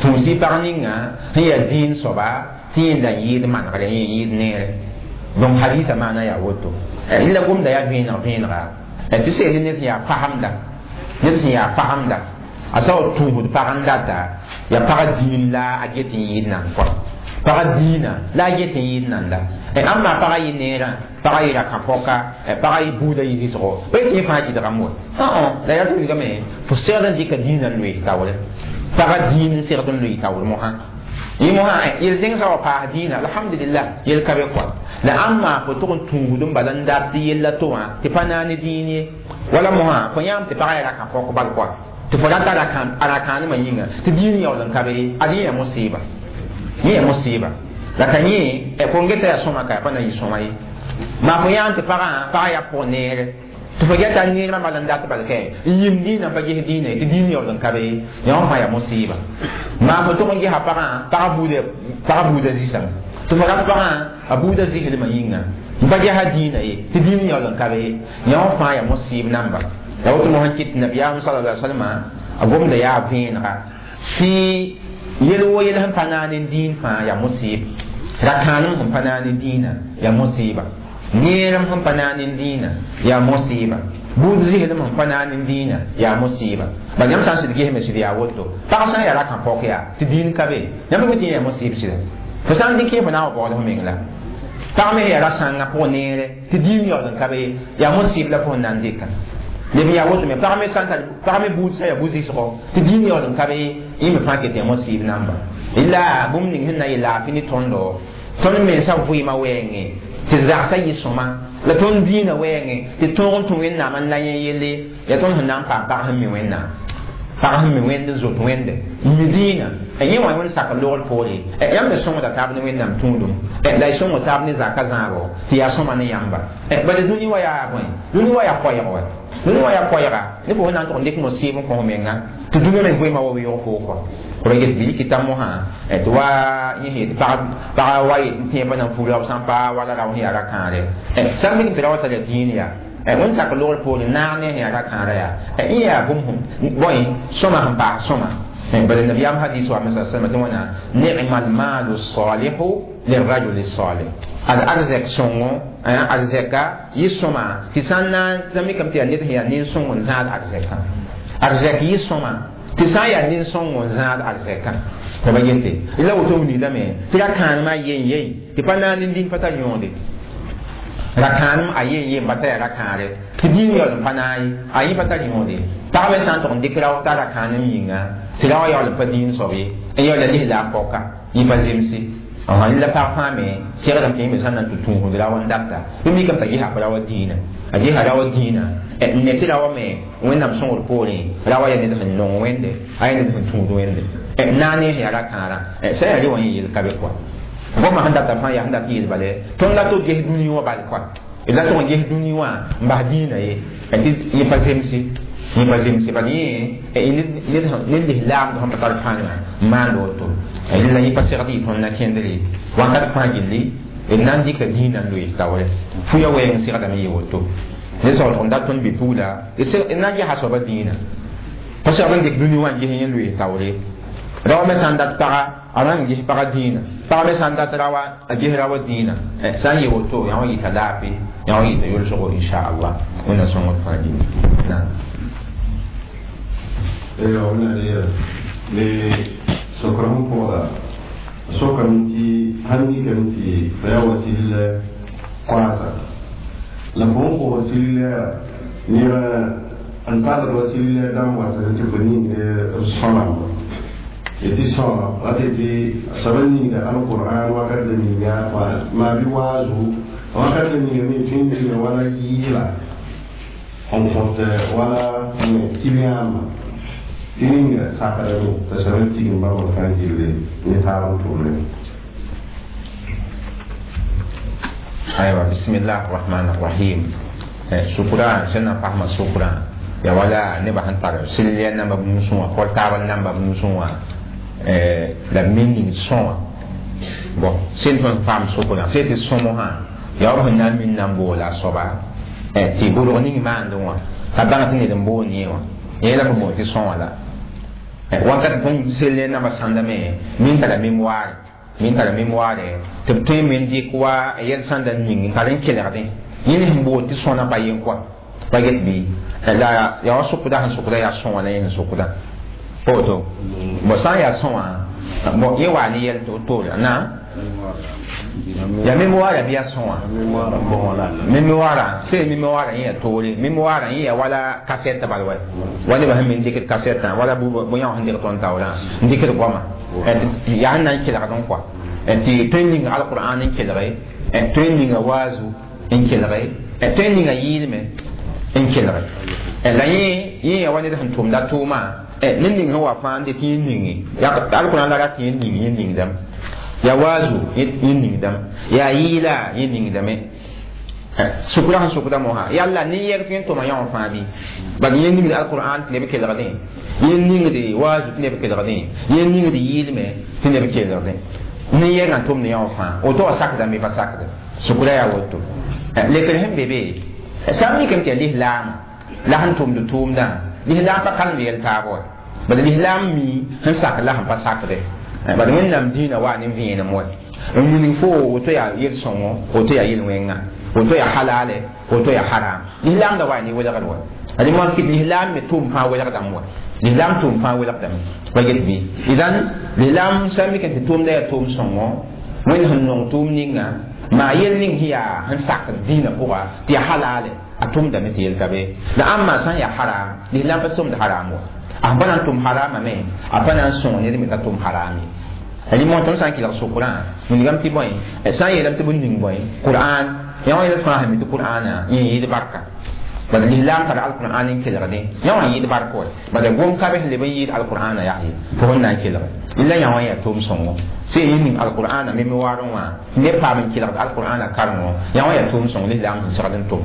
tũusi pag ninga sẽn yaa dĩin soaba tɩ yẽnda n yɩɩd manegre yẽ yɩɩd neere donc hadisa maana yaa woto la gomda yaa vẽeneg vẽenega tɩ seel ned sẽn yaa fasemda ned sẽn yaa fasemda a sa wa tũusd pag n data yaa pag dĩin la a get n yɩɩd nan kɔa pag dĩinã la a get n yɩɩd nanda ãmba pagã yɩ neerã pagã yɩ ra-kã-pɔka pagã yɩ buudã yɩ zɩsgo pa yetɩ yẽ fãa gɩdgame wa la yaa tɩ wilgame fo segd n dɩka dĩinã n loees taoore pagã dĩin n segd n loe taoor mosã yẽ mosã yel-zẽngsã wa paas dĩinã alhamdulillah yel ka be kɔa la ãmba fo tʋg n tũusd n bala n dat tɩ yella to wã tɩ pa naane dĩin ye wala mosã fo yãam tɩ pagã yaa ra-kã-pɔk bal kɔa tɩ fo rata a ra-kãanemã yĩnga tɩ dĩin yaool n ka be ye ad yẽ yaa mosɩɩba yẽ yaa mosɩɩba la ka yẽ fo n geta yaa sõma ka pa na yɩ sõma ye maa fo yãan tɩ pagã pagã yaa pʋg neere tɩ fo geta neermã bal n dat bal kɛ n yim dĩinã pa ges dĩinã ye tɩ dĩin yaool n ka be ye yã wã fãa yaa mosɩɩba maa fo tʋg n gesa pagã pagã buudã zĩsame tɩ fo rat pagã a buudã zɩslmã yĩnga n pa gesa dĩinã ye tɩ dĩin yaool n ka be ye yã wã fãa yaa mosɩɩb namba la woto mosã kɩt nabiyaam sallallahu alaihi wasallam a gomda yaa vẽenega tɩ yel wo yel sẽn pa naane dĩin fãa yaa mosɩɩb ra-kãanem sẽn pa naane dĩinã yaa mosɩɩba neerem sẽn pa naane dĩinã yaa mosɩɩba buud zɩslem sẽn pa naane dĩinã yaa mosɩɩba bal yãmb sã n sɩd gesme sɩd yaa woto pag sã n yaa ra-kã-pɔk yaa tɩ dĩin ka be yãmb me tɩ yẽ yaa mosɩɩb sɩda fo sã n dɩk yẽ fo na n wa baood f meng la Pag me yaa ra-sãngã pʋgẽ neere tɩ diim yaool n ka be yaa mosɩɩb la fo sẽn na n dɩka leb n yaa woto me pag me sã n tar pag me buud sã yaa bu-zɩsgo tɩ diim yaool n ka be yẽ me fãa ket yaa mosɩɩb namba la bũmb ning sẽn na n yɩ laafɩ ne tõndo tõnd mensã vɩɩmã wɛɛngẽ tɩ zagsã yɩ sõma la tõnd dĩinã wɛɛngẽ tɩ tõog n tũ wẽnnaam n la yẽ yelle yaa tõnd sẽn na n paam pag sẽn mi wẽnnaam pag sẽn mi wẽnd n zoet wẽnde n mi dĩinã yẽ wã wẽnd sak logr poore yãmb me sõngda taab ne wẽnnaam tũudum la y sõng taab ne zaka zãabo tɩ yaa sõma ne yãmba bala dũni wa yaa bõe dũni wa yaa koɛɛg wa dũni wa yaa koɛɛga ne fo sẽn na n tʋg n dɩk mosɩɩb n kõ f menga tɩ dũni me vɩɩmã wa weoog foo kɔa ra get bɩ rɩkɩ mosã tɩ wa yẽ tɩ pag wa yet n tẽebã na n fug rao sã n pa wala rao sẽn yaa ra-kãare sã n mik tɩ ra wa tara dĩin yaa wẽnd sak logr poore naag ne sẽn yaa ra-kãara yaa yẽ yaa bũmb bõe sõma sẽn paas sõma bala nabiyaam hadis wa me sa salma tɩ wãna ni'ma almalu salihu lirajuli salih ad arzɛk sõngo arzɛka yɩ sõma tɩ sã n na n mikame tɩ yaa ned sẽn yaa nin-sõng n zãad arzɛkã arzɛk yɩ sõma tɩ sã n yaa nin-sõng n zãad arzɛkã tɩ ba yete la woto wilame tɩ ra-kãanemã yen yei tɩ pa na n nin-dĩn pa tar yõode ra-kãanem a yen yen pa ta yaa ra-kãare tɩ dĩin yaool n pa naag ye a yẽ pa tar yõode pag me sã n tʋg n dɩk rao t'a ra-kãanem yĩnga tɩ ra wa yaool n pa dĩin soab ye n yaool la lislaam pɔka yẽ pa zemse la pag fãa me segdame tɩ yẽ me sã n na n tɩ tũusd rao n data bɩ mikame t'a gesa ra wa dĩinã a gesa ra wa dĩinã n ne tɩ ra wa me wẽnnaam sõngr poorẽ ra wa yaa ned sẽn nong wẽnde a yaa ned sẽn tũud wẽnde naag ne sẽn yaa ra-kãara sã yaa re wã yẽ yel ka be kɔa goma sẽn data fãa yaa sẽn dat yeel bale tõnd la to ges dũni wã bal kɔa d la tʋg n ges dũni wã n bas dĩinã ye tɩ yẽ pa zemse yẽ pa zemse bal yẽ ned lislaamd sẽn pa tar pãnga n maand woto la yẽ pa segd yɩ tõnd na kẽndre wakat fãa gilli d na n dɩka dĩinã n loees taoore fuya wɛɛng segdame yɩ woto ne sag tʋg n dat tõnd bi-pugla d na n gesa soaba dĩinã pa segd n dɩk dũni wã n ges yẽ loees taoore rao me sã n dat paga a na n ges paga dĩinã pag me sã n dat rawa a ges rawa dĩinã sã n yɩ woto yã wã yɩta laafɩ yã wã yɩta yolsgo inchallah wẽnna sõngd fãa gilli naam ne sokr sẽn pʋgda sokame tɩ sãn mikame tɩ fa yaa wa sɩll koaasa la fo n kos sɩll neba n tald wa sɩll dãmb wata tɩ fo ning sõnamba tɩ sõna wata tɩ soab n ningda alqur'an wakat la ninga maa bɩ waazu wakat la ninga me tõe n ninga wala yɩɩla n kõt wala tɩ-yãamba tɩ ninga sakdame t'a soab n tigim bãmb fãa gilli ne taab n tʋmne aywa bismillah rahman rahim sukura sẽn na n fasma sukura ya wala nebã sẽn tar sɩll namba b nusẽ wã portable namba b nusẽ wã la b me ning sõa bon sẽn tõnd paam sʋkrã sẽ tɩ sõmosã yaa b sẽn na n min na n boola a soaba tɩ bʋlg ning maandẽ wã ka bãng tɩ ned n boond yẽ wã yẽ la b boond tɩ sõa la wakat tõnd sell namba sãndame min tara mémoire min tara mémoire tɩ b tõe me n dɩk wa yɛl sãnda ning n tar n kelgdẽ yẽ ne sẽn bood tɩ sõna pa yen kɔa pa get bɩ la yaa wa sʋkda sẽn sʋkda yaa sõa la yẽ sẽn sʋkda woto bon sã n yaa sõa bon yẽ waa ne yɛl toore na ya mémoire bɩ yaa sõa mémoire sẽn mémoire yẽ yaa toore mémoire yẽ yaa wala kasɛt bal wa wa nebã sẽn me n dɩkd kasɛtã wala bõe-yã sẽn dɩg tõnd taoorã n dɩkd goama yaa sẽn na n kelgd n kɔa tɩ tõe n ninga alqur'an n kelge tõe n ninga waazu n kelge tõe n ninga yɩɩlme n kelge la yẽ yẽ yaa wa ned sẽn tʋmda tʋʋma ned ning sẽn wa fãa n dɩk yẽ ninge alqur'an la rat yẽ ning yẽ ningdame yaa waazu yẽ ningdame yaa yɩɩla yẽ ningdame sʋkra sẽn sʋkda mosã yalla nin-yɛg tõe n tʋma yã wã fãa bɩ bal yẽ ningd alqur'an tɩ neb kelgdẽ yẽ ningd waazu tɩ neb kelgdẽ yẽ ningd yɩɩlme tɩ neb kelgdẽ nin-yɛgã tʋmd yã wã fãa woto wa sakdame pa sakde sʋkra yaa woto lekr sẽn be be sã n mikame tɩ yaa lislaam la sẽn tʋmd tʋʋmdã lislaam pa kalem yɛl taab wa bala lislaam mi sẽn sak la sẽn pa sakde bala wẽnnaam dĩinã waa ne vẽenem wa n wilg fo woto yaa yel-sõngo woto yaa yel-wẽnga woto yaa halale woto yaa haram lislaam da waa ne welgd wa ad mak tɩ lislaam me tʋʋm fãa welgdame wa lislaam tʋʋm fãa welgdame pa get bɩ idan lislaam sã n mik tɩ tʋʋmda yaa tʋʋm sõngo wẽnd sẽn nong tʋʋm ninga Ma yel ning hiya sẽn sak dĩinã pʋga tɩ ya halale a tʋmdame tɩ yel ka be la ãmba sã n yaa haram lislaam pa sõmd haram wa a pa na n tʋm harama me a pa na n sõng ned me t'a tʋm haram ye rɩ tõnd sã n kelg sokrã wilgame tɩ bõe sã n yeelame tɩ bũmb ning bõe qur'an yã wã yel fãa sẽn mi tɩ qur'ana yẽ yɩɩd barka bala lislaam tara alqur'an n kelgde yã wã yɩɩd bark wa bala gom ka be sẽn leb n yɩɩd alqur'ana yaa ye tɩ fõn na n kelge la yã wã yaa tʋʋm sõngo sẽn yẽ ning alqur'ana mémoire wã neb paam n kelgd alqur'ana karengo yã wã yaa tʋʋm sõngo lislaam sẽn segd n tʋm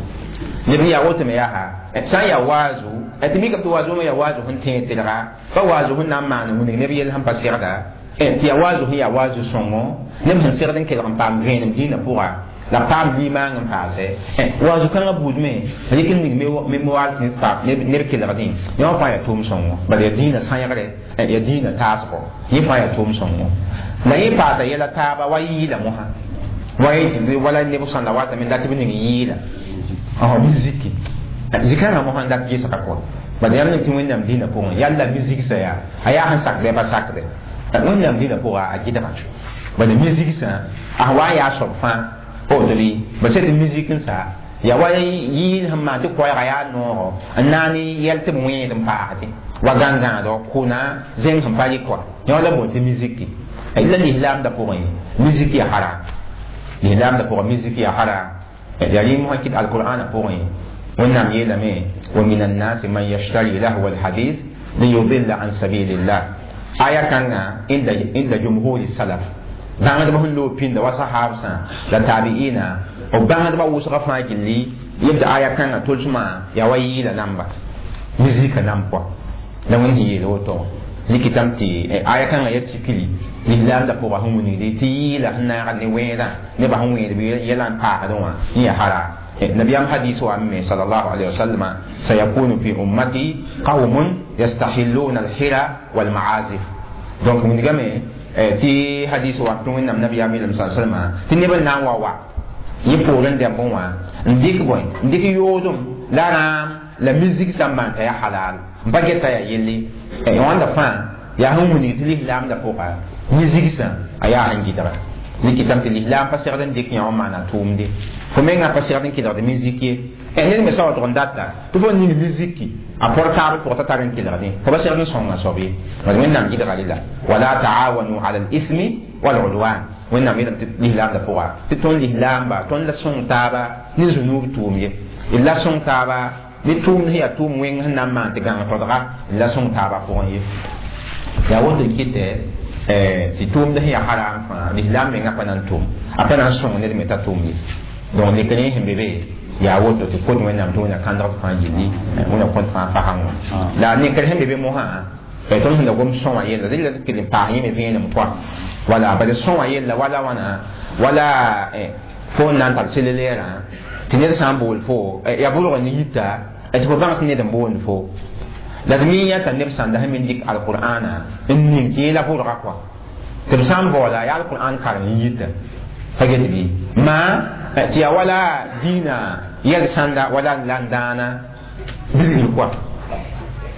neb n yaa woto me yaa sã n yaa waazu tɩ mikame tɩ waazu wã yaa waazu sẽn tẽeg telga pa waazu sẽn na n maan wilg neb yell sẽn pa segda tɩ yaa waazu sẽn yaa waazu sõngo neb sẽn segd n kelg n paam vẽenem dĩinã pʋga la paam limaang n paase waazu kãngã buud me rɩk n ning mémoire tɩ paam neb kelgdẽ yã wã fãa yaa tʋʋm sõngo bala yaa dĩinã sãegre yaa dĩinã taasgo yẽ fãa yaa tʋʋm sõngo la yẽ paasa yɛla taaba wa yɩɩla mosã wa yẽ wala neb sãn la watame dat tɩ b ning yɩɩla miziki zikãngã mosã n dat gesga pʋgẽ bala yãmb ning tɩ wẽnnaam dĩinã pʋgẽ yalla mizigsã yaa a yaa sẽn sakdɛ pa sakdɛ wẽnnaam dĩinã pʋga a gɩdga bala mizigsã a wa n yaa soab fãa otobi ba sẽd musique n sa ya wa yɩɩl sẽn maan tɩ koɛɛga yaa noogo n na n yɛl tɩ b wẽed n paasdẽ wa gãn-gãadg kʋna zẽng sẽn pa rɩk wa yã la boond tɩ miziki la lislaamdã pʋgẽ musique yaa haram lislaamdã pʋgẽ musique yaa haram yaa rɩ mosã kɩt alqur'ana pʋgẽ wẽnnaam yeelame wa min annasi man yashtari lahwa alhadith liyudilla an sabilillah aya kãngã inda jumhuri salaf bãngdbã sẽn loog pĩnda wa sahabsã la tabi'ina b bãngdbã wʋsgã fãa gilli yebd aya kãngã tolsmã yaa wa yɩɩla namba mizika nam pʋa la wẽnd sẽn yeel woto rɩkɩtame tɩ aya kãngã ya tikri lislaamdã pʋga sẽn wilgdi tɩ yɩɩla sẽn naagd ne wẽedã nebã sẽn wẽed yɛla n paasdẽ wã yẽ ya haram نبيام حديث عمي صلى الله عليه وسلم سيكون في أمتي قوم يستحلون الحرى والمعازف donc من جمع tɩ hadis wa tɩ wẽnnaam nabiyaam yeelame sa salma tɩ neb n na n wa wa yẽ poorẽ dɛmbẽ wã n dɩk bõe n dɩk yoodem la rãam la musique sã n maan t'a yaa halal n pa geta yaa yelle wãnda fãa yaa sẽn wilg tɩ lislaamdã pʋga musique sã a yaa sẽn gɩdga rɩkɩtame tɩ lislaam pa segd n dɩk yã wã maana tʋʋmde fo mengã pa segd n kelgd musique ye ned me sa wa tʋg n data tɩ fo ning musique a portable pʋgã t'a tar n kelgdẽ fo pa segd n sõnga soab ye bad wẽnnaam gɩdga rela wala taawanu ala al-ithmi wal-udwan wẽnnaam yeelame tɩ lislaamdã pʋga tɩ tõnd lislaamba tõnd la sõng taaba ne zũnuub tʋʋm ye d la sõng taaba ne tʋʋmd sẽn yaa tʋʋm wẽng sẽn na n maan tɩ gãng todga d la sõng taaba pʋgẽ ye yaa woto n kɩtɛ tɩ tʋʋmd sẽn yaa haram fãa lislaam mengã pa na n tʋm a pa na n sõng ned me t'a tʋm ye donc lekr sẽn be be yaa woto tɩ kot wẽnnaam tɩ wẽnna kãndg fãa gilli wẽnna kõt fãa fasã wã la nekr sẽn be be mosã tõnd sẽn da gom sõ wã yella rɩla tɩ kell n paas yẽ me vẽenem pʋa wala bala sõ wã yella wala wãna wala fo n na n tar selleerã tɩ ned sã n bool fo yaa bʋlg ne yita tɩ fo bãng tɩ ned n boond fo la d mi yãta neb sãnda sẽn me dɩk alqur'ana n ning tɩ yẽ la bʋlga kɔa tɩ b sã n baoola yaa alqur'an karem n yita pa get bɩ maa tɩ yaa wala dĩinã yɛl sãnda wala la n dãana bilgr kɔa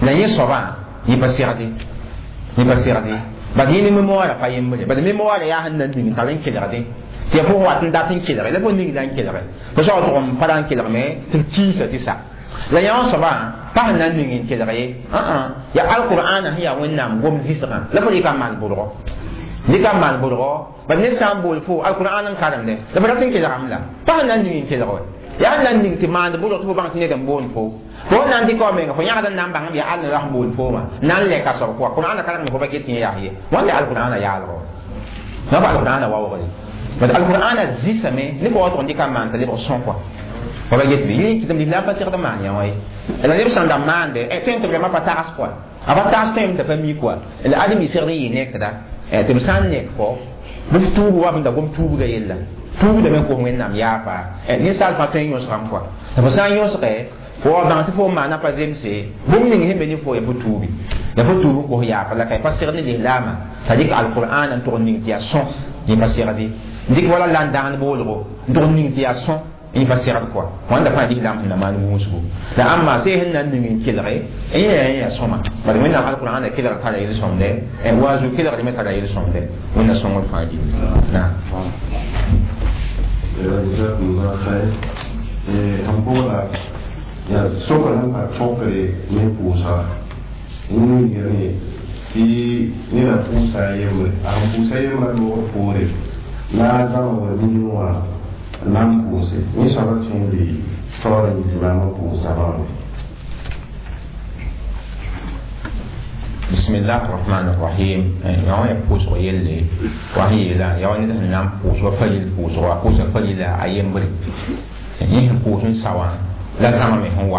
la yẽ soabã yẽ pa segde yẽ pa segde bad yẽ ne mémoire pa yembre bad mémoire yaa sẽn na n ning tar n kelgde tɩ yaa fo wat n dat n kelge la fo ning la n kelge fo soag tʋg n pa ra n kelgme tɩ b kiisa tɩ sa la yã wã soabã pa sẽn na n ning n kelg ye yaa alqur'ana sẽn yaa wẽnnaam gom zɩsgã la fo rɩka n maan bʋlgɔ rɩka n maan bʋlgɔ bad ned sã n bool fo alqur'an n karemde la fo rat n kelgame la pa sẽn na n ning n kelg wa yaa sẽn na n ning tɩ maand bʋlg tɩ fo bãng tɩ ned n boond fo fo na n dɩka wa menga fo yãgd n na n bãng b yaa all n ra sẽn boond foomã na n lɛka soab kʋa qur'ana karemd fo pa get yẽ yaa ye wãnda alqur'ana yaalgo na fa alqur'ana waoogre bad alqur'ana zɩsame ne fo wa tʋg n dɩka n maan t'a lebg sõ kɔa fo pa get bɩ yẽ kɩtame lislaam pa segd n maan yã wã ye la neb sãn da maande tõe tɩ vraiment pa tags kɔa a pa tags tõeme t'a pa mi kɔa la adem y segd n yɩ nekda tɩ b sã n nek fo bɩ f tuub wa b da gom tuubga yella tuubdame n kos wẽnnaam yaafa ninsaal fãa tõe n yõsgame kɔa tɩ fo sã n yõsge fo wa bãng tɩ fo n maana pa zemse bũmb ning sẽn be ne fo ya fo tuubi ya fo tuub n kos yaafa la ka pa segd ne lislaamã t'a dɩk alqur'ana n tʋg n ning tɩ yaa sõ yẽ pa segde dɩk wala la n dãgnd boolgo n tʋg n ning tɩ yaa sõ yẽ pa segd kɔa wãnda fãa lislaam sẽn na maan wũusgo la ãmba see sẽn na n ning n kelge yẽ yaa sõma bad wẽnnaam alqur'ana kelg tara yel-sõmde waazu kelgd me tara yel-sõmde wẽnna sõngr fãa gilli naam. Jazakumullah khair. Sẽn pʋgda yaa sokr sẽn tar põkre ne pʋʋsga n tɩ neda pʋʋsa a yembre a sẽn pʋʋsa yembrã loogr poore la a zãma wa ning wã na n pʋʋse yẽ soaba tõe n le taoor n yɩ limaam n pʋʋsa bãmbe. بسم الله الرحمن الرحيم. يوم يبوس ويلي وهي لا يوم نام بوس وفجل بوس وبوس فجل أيام بري يه بوس سوا لا زمان من هو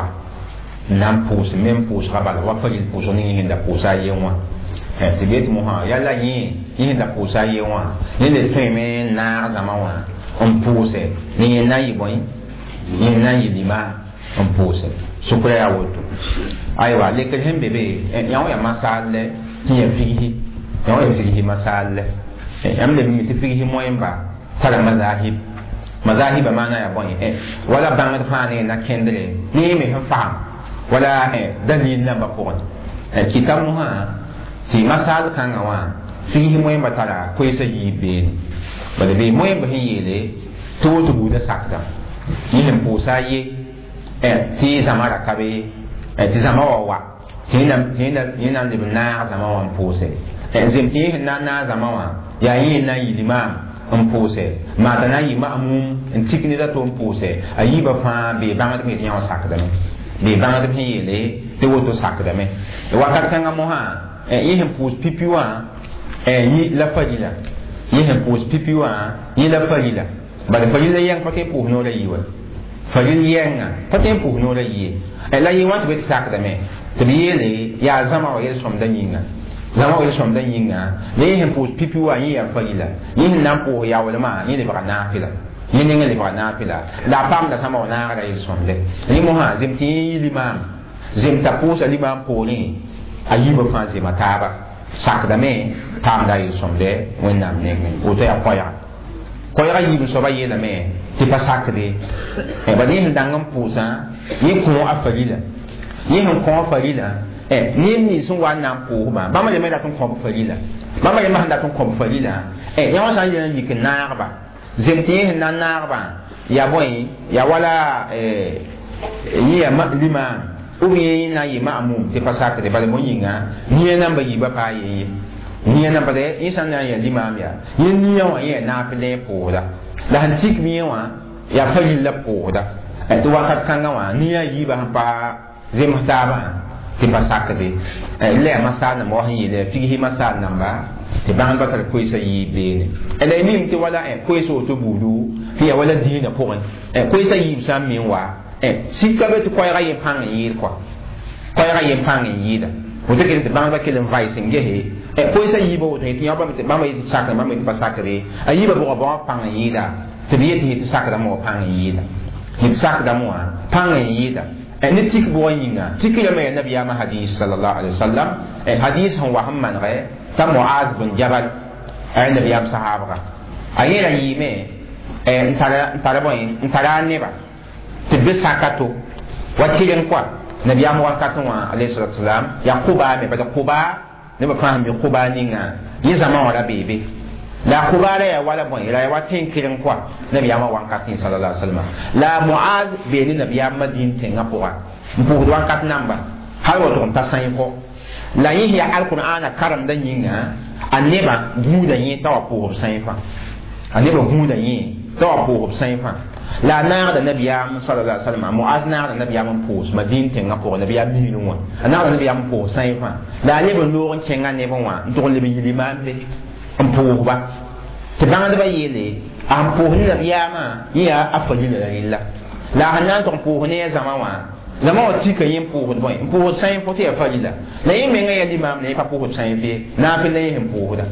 نام بوس من بوس قبل وفجل بوس نيه هند بوس أيام وا تبيت مها يلا يه يه هند بوس أيام وا نيه تيم نا زمان وا أم بوس نيه ناي بوين نيه ناي لما أم بوس sukra yaa woto aywa lekr sẽn be be yã wã yaa masaal tɩ yã figsi yã wã yaa figsi masaal yãmb leb mi tɩ figsi moẽmba tara mazahib mazahiba maana yaa bõe wala bãngd fãa ne na kẽndre ne yẽ me sẽn fasem wala dalil nambã pʋgẽ kɩta mosã tɩ masaal kãngã wã figsi moẽmba tara koeesa yiib beene bala bee moẽmba sẽn yeele tɩ woto buudã sakda yẽ sẽn pʋʋsa a ye tɩ zãma ra ka be tɩ zãma wa wa tɩ yẽ na n leb n naag zãma wã n pʋʋse zem tɩ yẽ sẽn na n naag zãma wã yaa yẽ na n yɩ limaam n pʋʋse maata na n yɩ ma'mum n tik ned a to n pʋʋse a yiibã fãa bee bãngdb sẽn yetɩ yã wã sakdame bee bãngdb sẽn yeele tɩ woto sakdame wakat kãngã mosã yẽ sẽn pʋʋs pipi wã yẽ la farila yẽ sẽn pʋʋs pipi wã yẽ la farila bala farila yɛng pa tõe n pʋʋs noorã yi wa faril yɛnga pa tõe n pʋʋs noorã yie la yẽ wã tɩ be tɩ sakdame tɩ b yeele yaa zãma wa yel-sõmdã yĩnga zãma wa yel-sõmdã yĩnga la yẽ sẽn pʋʋs pipi wã yẽ yaa farila yẽ sẽn na n pʋʋs yaoolmã yẽ lebga naafɩla yẽ nengẽ lebga naafɩla la a paamda sãma wa naagra yel-sõmde rẽ mosã zem tɩ yẽ yɩ limaam zem t'a pʋʋsa limaam poorẽ a yiibã fãa zema taaba sakdame paamda a yel-sõmde Wẽnnaam nengẽ woto yaa koɛɛga koɛɛga yiib soaba yeelame tɩ pa sakde bala yẽ sẽn dãng n pʋʋsã yẽ kõ a farila yẽ sẽn kõ a farila neb nins sẽn wa n na n pʋʋsbã bãmb rẽmbã dat n kõb farila bãmb rẽmbã sẽn dat n kõb farila yã wã sã n yel n yik n naagba zem tɩ yẽ sẽn na n naagba yaa bõe yaa wala yẽ yaa limaam ou bien yẽ na n yɩ ma'mum tɩ pa sakde bala bõe yĩnga nia namba yiibã paa yen ye nia namba yẽ sã n na n yaa limaam yaa yẽ nia wã yẽ yaa naaf la pʋʋsda la sẽn tik yẽ wã yaa faril la pʋʋsda tɩ wakat kãngã wã nia yiibã sẽn pa zems taabã tɩ pa sakde la yaa masaal namba wa sẽn yeele figsi masaal namba tɩ bãngdbã tar koeesã yiib beene la y mim tɩ wala koees woto buudu tɩ yaa wala dĩinã pʋgẽ koeesã yiib sã n me n wa sika be tɩ koɛɛgã yẽ pãng n yɩɩd kɔa koɛɛgã yẽ pãng n yɩɩda woto kell tɩ bãngdbã kell n vaɩs n gese koeesã yiibã woto tɩ yã bãmba yetɩ sakre bãmba yetɩ pa sakre a yiibã bʋga bõa pãng n yɩɩda tɩ b yetɩ tɩ sakdame wã pãng n yɩɩda tɩ sakdame wã pãng n yɩɩda ne tik bʋgã yĩnga tik yame yaa nabiyaamã hadis sallallahu alaihi wasallam hadis sẽn wa sẽn manegɛ t'a Muaz bn Jabal a nabiyaam sahaabga a yẽra yɩɩme n tara bõe n tara a neba tɩ b be saka to wa kɩreng kɔa nabiyaam wankatẽ wã alayhi salatu wasalam yaa kʋbaa me bala kʋbaa nebã fãa sẽn be kʋbaa ninga yẽ zãma wã ra bee be la kʋbaa ra yaa wala bõe ra yaa wa tẽn kɩreng kɔa nabiyaamã wankatẽ sallallahu alaihi wasallam la Muaz bee ne nabiyaam Madin tẽngã pʋga n pʋʋsd wankat namba hal wa tʋg n ta sãy kɔ la yẽ yaa alqur'ana karemdã yĩnga a nebã gũuda yẽ t'a wa pʋʋsb sãy fãa a nebã gũuda yẽ t'a wa pʋʋsb sãy fãa la naagda nabiyaam sallallahu alaihi wasallam Muaz naagda nabiyaam n pʋʋs Madin tẽngã pʋgẽ nabiyaam miilẽ wã a naagda nabiyaam n pʋʋs sãy fãa la a leb n loog n kẽngã nebẽ wã n tʋg n leb n yɩ limaam be n pʋʋsba tɩ bãngdbã yeele a sẽn pʋʋs ne nabiyaamã yẽ yaa a farila la rella la a sẽn na n tʋg n pʋʋs ne a zãma wã zãma wã tika yẽ n pʋʋsd bõe n pʋʋsd sãy fo tɩ yaa farila la yẽ menga yaa limaam la yẽ pa pʋʋsd sãy fɩ naafɩl la yẽ sẽn pʋʋsda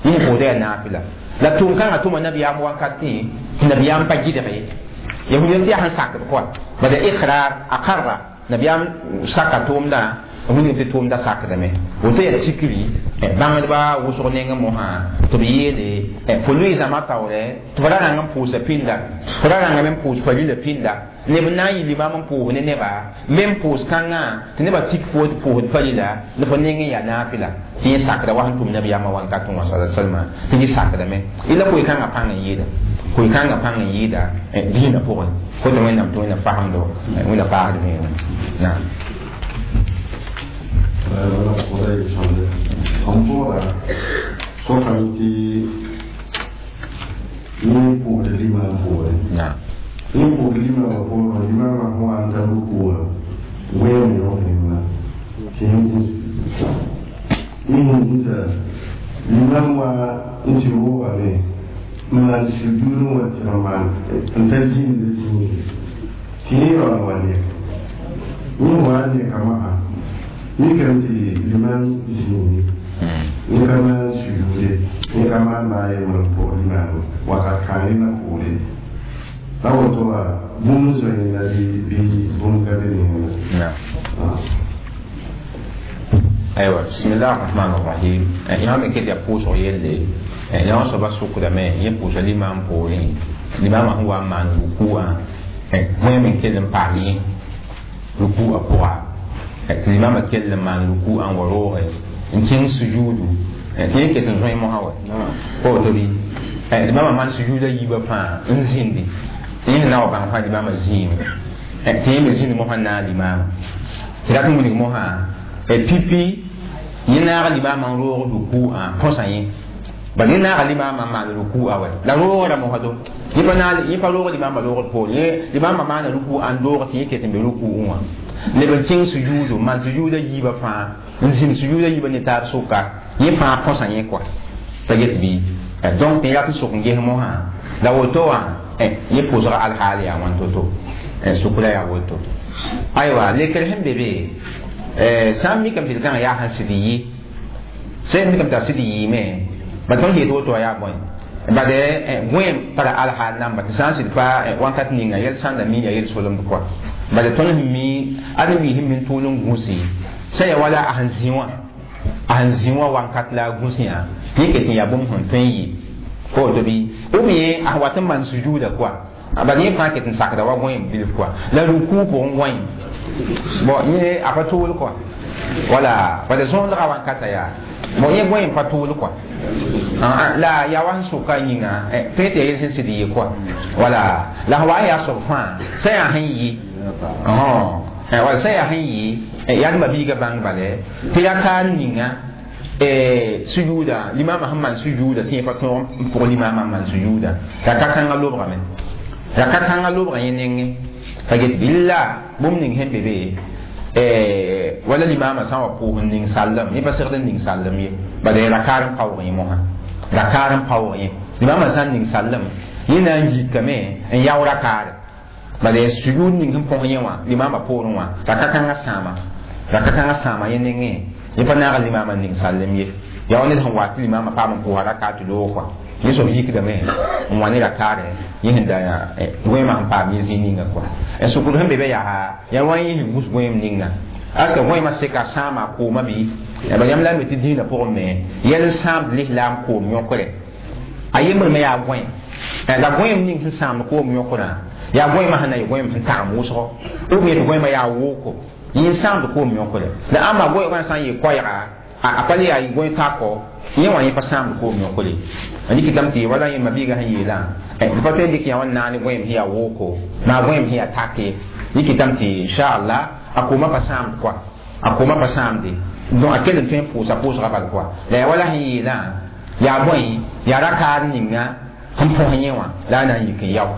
yẽ sẽn pʋʋsda yaa naafɩla la tʋʋm kãngã tʋma nabiyaam wankatẽ tɩ nabiyaam pa gɩdge yahudiyam tɩ yaa sẽn sakd kɔa bala ikrar a karra nabiyaam saka tʋʋmdã wilg tɩ tʋʋmda sakdame woto yaa tikri bãngdbã wʋsg nengẽ mosã tɩ b yeele fo loe zãma taoorɛ tɩ f ra rãng n pʋʋsa pĩnda fo ra rãngame n pʋʋs farila pĩnda neb n na n yɩ limaam n pʋʋs ne neba me n pʋʋs kãngã tɩ nebã tik fo tɩ pʋʋsd farila la fo nengẽ yaa naafɩla tɩ yẽ sakda wa sẽn tʋm nabiyaamã wankatẽ wã sa salma tɩ yẽ sakdame y la koe-kãngã pãng n yɩɩda Kʋɩ-kãngã pãng n yɩɩda dĩinã pʋgẽ fo tɩ wẽnnaam tɩ wẽnna fasemdo wẽnna paasd vẽenem naam. N pʋʋra sokame tɩ yẽ pʋʋsd limaam poorẽ yẽ pʋʋsd limaamã poorẽ limaamã sẽn wa n ta rukuwã wẽem yõk yẽnda tɩ yẽ sẽn zĩsa limaam wa n tɩ roogame n maan sujuud n wa tɩg n maan n ta zĩnd zĩige tɩ yẽ yaool wa lek yẽ wa n leka mosã mikame tɩ limaam zĩige yẽ ka maan sujuude yẽ ka maan maa yembr n pʋg limaam wakat kãng na poore la woto wa bũmb n zoe yẽnda bɩ bũmb ka be ne yẽnda. Aywa, bismillah rahman rahim. Yã me ket yaa pʋʋsg yelle yã wã soaba sʋkdame yẽ pʋʋsa limaam poorẽ limaamã sẽn wa n maan rukuã wẽem n kell n paas yẽ rukuã pʋga tɩ limaamã kell n maan rukuã n wa rooge n kẽng sujuudu tɩ yẽ ket n zoe mosã wa pa woto bɩ limaamã maan sujuuda yiibã fãa n zĩndi tɩ yẽ sẽn na wa bãng fãa limaamã zĩime tɩ yẽ me zĩnd mosã n naag limaamã tɩ rat n wilg mosã pipi yẽ naaga limaamã n roog rukuã põsa yẽ bal yẽ naaga limaamã n maan ruku'a wɛ la roogrã mosdo yẽ pa roog limaamã roogd poore yẽ limaamã maana ruku'a n doog tɩ yẽ ket n be ruku'ẽ wã leb n kẽng sujuudu n maan sujuuda yiibã fãa n zĩnd sujuuda yiibã ne taab sʋka yẽ fãa põsa yẽ kɔa t'a get bɩ donc tɩ rat n sʋk n ges mosã la woto wã yẽ pʋʋsga alhaal yaa wãn to-to sʋkra yaa woto aywa lekr sẽn be be sã n mikame tɩ d kãngã yaa sẽn sɩd yɩ sẽn mikame tɩ a sɩd yɩɩme ba tõnd yet woto wã yaa bõe bad gõeem tara alhaal namba tɩ sã n sɩd pa wãnkat ninga yɛl sãnda mi ya yel solemd kɔa bad tõnd sẽn mi ad n wi sẽn min tʋʋl n gũsi sã ya wala a sẽn zĩ wã a sẽn zĩ wã wãnkat la a gũsẽ yẽ ket n yaa bũmb sẽn tõe n yɩ pa woto bɩ ou bien a sẽn wat n maan sujuuda kɔa bad yẽ fãa ket n sakda wa gõeem bilf kɔa la rukuu pʋgẽ gõeem bon yẽ a pa tʋʋl kɔa wala bad zõondga wãnkata yaa bon yẽ gõeem pa tʋʋl kɔa la yaa wa sẽn sʋka yĩnga tõe tɩ yaa yel sẽn sɩd yɩ kɔa wala la sẽn wa n yaa soab fãa sã yaa sẽn yɩ wala sã yaa sẽn yɩ yaa d mabiiga bãng bale tɩ rakaar ninga sujuuda limaamã sẽn maan sujuuda tɩ yẽ pa tõog n pʋg limaamã n maan sujuuda raka kãngã lobgame raka kãngã lobga yẽ nengẽ t'a get billa bũmb ning sẽn be be wala limaamã sã n wa pʋʋs n ning sallem yẽ pa segd n ning sallem ye bala rakaar n paoog yẽ mosã rakaar n paoog yẽ limaamã sã n ning sallem yẽ na n yikame n yao rakaare bala sujuud ning sẽn põs yẽ wã limaamã poorẽ wã raka kãngã sãama raka kãngã sãama yẽ nengẽ yẽ pa naag limaamã n ning sallem ye yaa wa ned sẽn wa tɩ limaamã paam n pʋʋsa rakaar tɩ loog kɔa yẽ soab yikdame n wa ne rakaarɛ yẽ sẽn da gõeemã sẽn paam yẽ zĩig ninga kɔa n sʋkd sẽn be be yaa yaa wa yẽ sẽn gũs gõeem ninga aska gõeemã seka sãama kooma bɩ ba yãmb la me tɩ dĩinã pʋgẽ me yɛl n sãamd lislaam koom yõkre a yembr me yaa gõe la gõeem ning sẽn sãamd koom yõkrã yaa gõeemã sẽn na yɩ gõeem sẽn tagem wʋsgo ou bien tɩ gõeemã yaa wooko yẽ n sãamd koom yõkre la ãmba gõeemã sã n yɩ koɛɛga a pa le yaa gõe tako yẽ wã yẽ pa sãamd koom yõkre n dɩkɩtame tɩ wala yẽ mabiigã sẽn yeelã d pa tõe n dɩk yã wã n naane gõeem sẽn yaa wooko maa gõeem sẽn yaa take dɩkɩtame tɩ inchallah a koomã pa sãamd kɔa a koomã pa sãamde donc a kell n tõe n pʋʋsa pʋʋsga bal kɔa la yaa wala sẽn yeelã yaa bõe yaa rakaar ninga sẽn põs yẽ wã la a na n yik n yao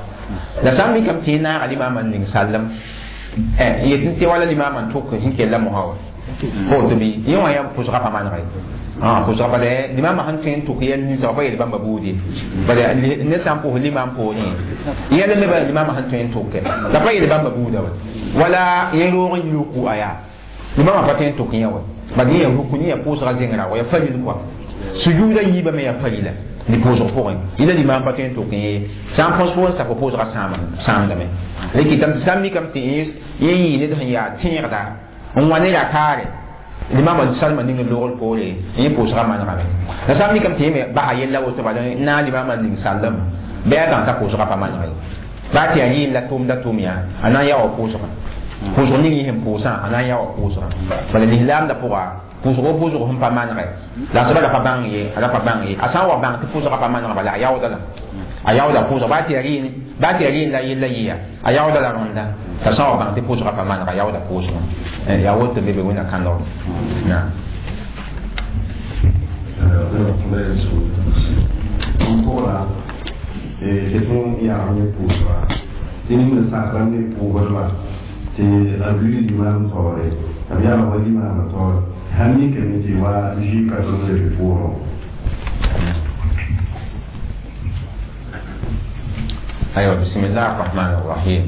la sã n mikame tɩ yẽ naaga limaamã n ning sallem yet tɩ wala limaamã n tʋk sẽn kella mosã wa pa woto bɩ yẽ wã yaa pʋʋsga pa manega ye pʋʋsga bala limaamã sẽn tõe n tʋk yɛl ninsã wa pa yeel bãmba buud ye bala ned sã n pʋʋs limaam poorẽ yɛl me bala limaamã sẽn tõe n tʋke la pa yeel bãmba buuda wa wala yẽ roog n yi ruku'a yaa limaamã pa tõe n tʋk yẽ wa bala yẽ yaa ruku yẽ yaa pʋʋsga zengrã wa yaa faril kɔa sujuuda yiibã me yaa farila ne pʋʋsg pʋgẽ yẽla limaam pa tõe n tʋk yẽ sã n põs poorẽ sak pʋʋsga sãamdame la kɩtame tɩ sã n mikame tɩ yẽ yɩ ned sẽn yaa tẽegda n wa ne rakaare limaamã salma ning loogr poore yẽ pʋʋsga manegame la sã n mikame tɩ yẽ me basa yella woto bala n naag limaamã n ning sallem bɩ a bãng t'a pʋʋsga pa maneg ye baa tɩ yaa yɩɩl la tʋʋmda tʋʋm yaa a na n yaa wa pʋʋsgã pʋʋsg ning yẽ sẽn pʋʋsã a na n yaa wa pʋʋsgã bala lislaamdã pʋga pʋʋsg pʋʋsg sẽn pa manegɛ la a soaba la pa bãng ye a la pa bãng ye a sã n wa bãng tɩ pʋʋsgã pa maneg bala a yaooda la a yaooda pʋʋsg baa tɩ yaa rɩɩn la yella yɩa a yaooda la rõnda t'a sã n wa bãng tɩ pʋʋsgã pa maneg a yaooda pʋʋsgã yaa woto be be wẽnna kãndgr naam. Tɩ a lui limaam taoore t'a b yalg wa limaamã taoore sãn mikame tɩ wa zɩ ka tõnd leb pʋʋgẽ. Aywa, bismillah arrahman arrahim.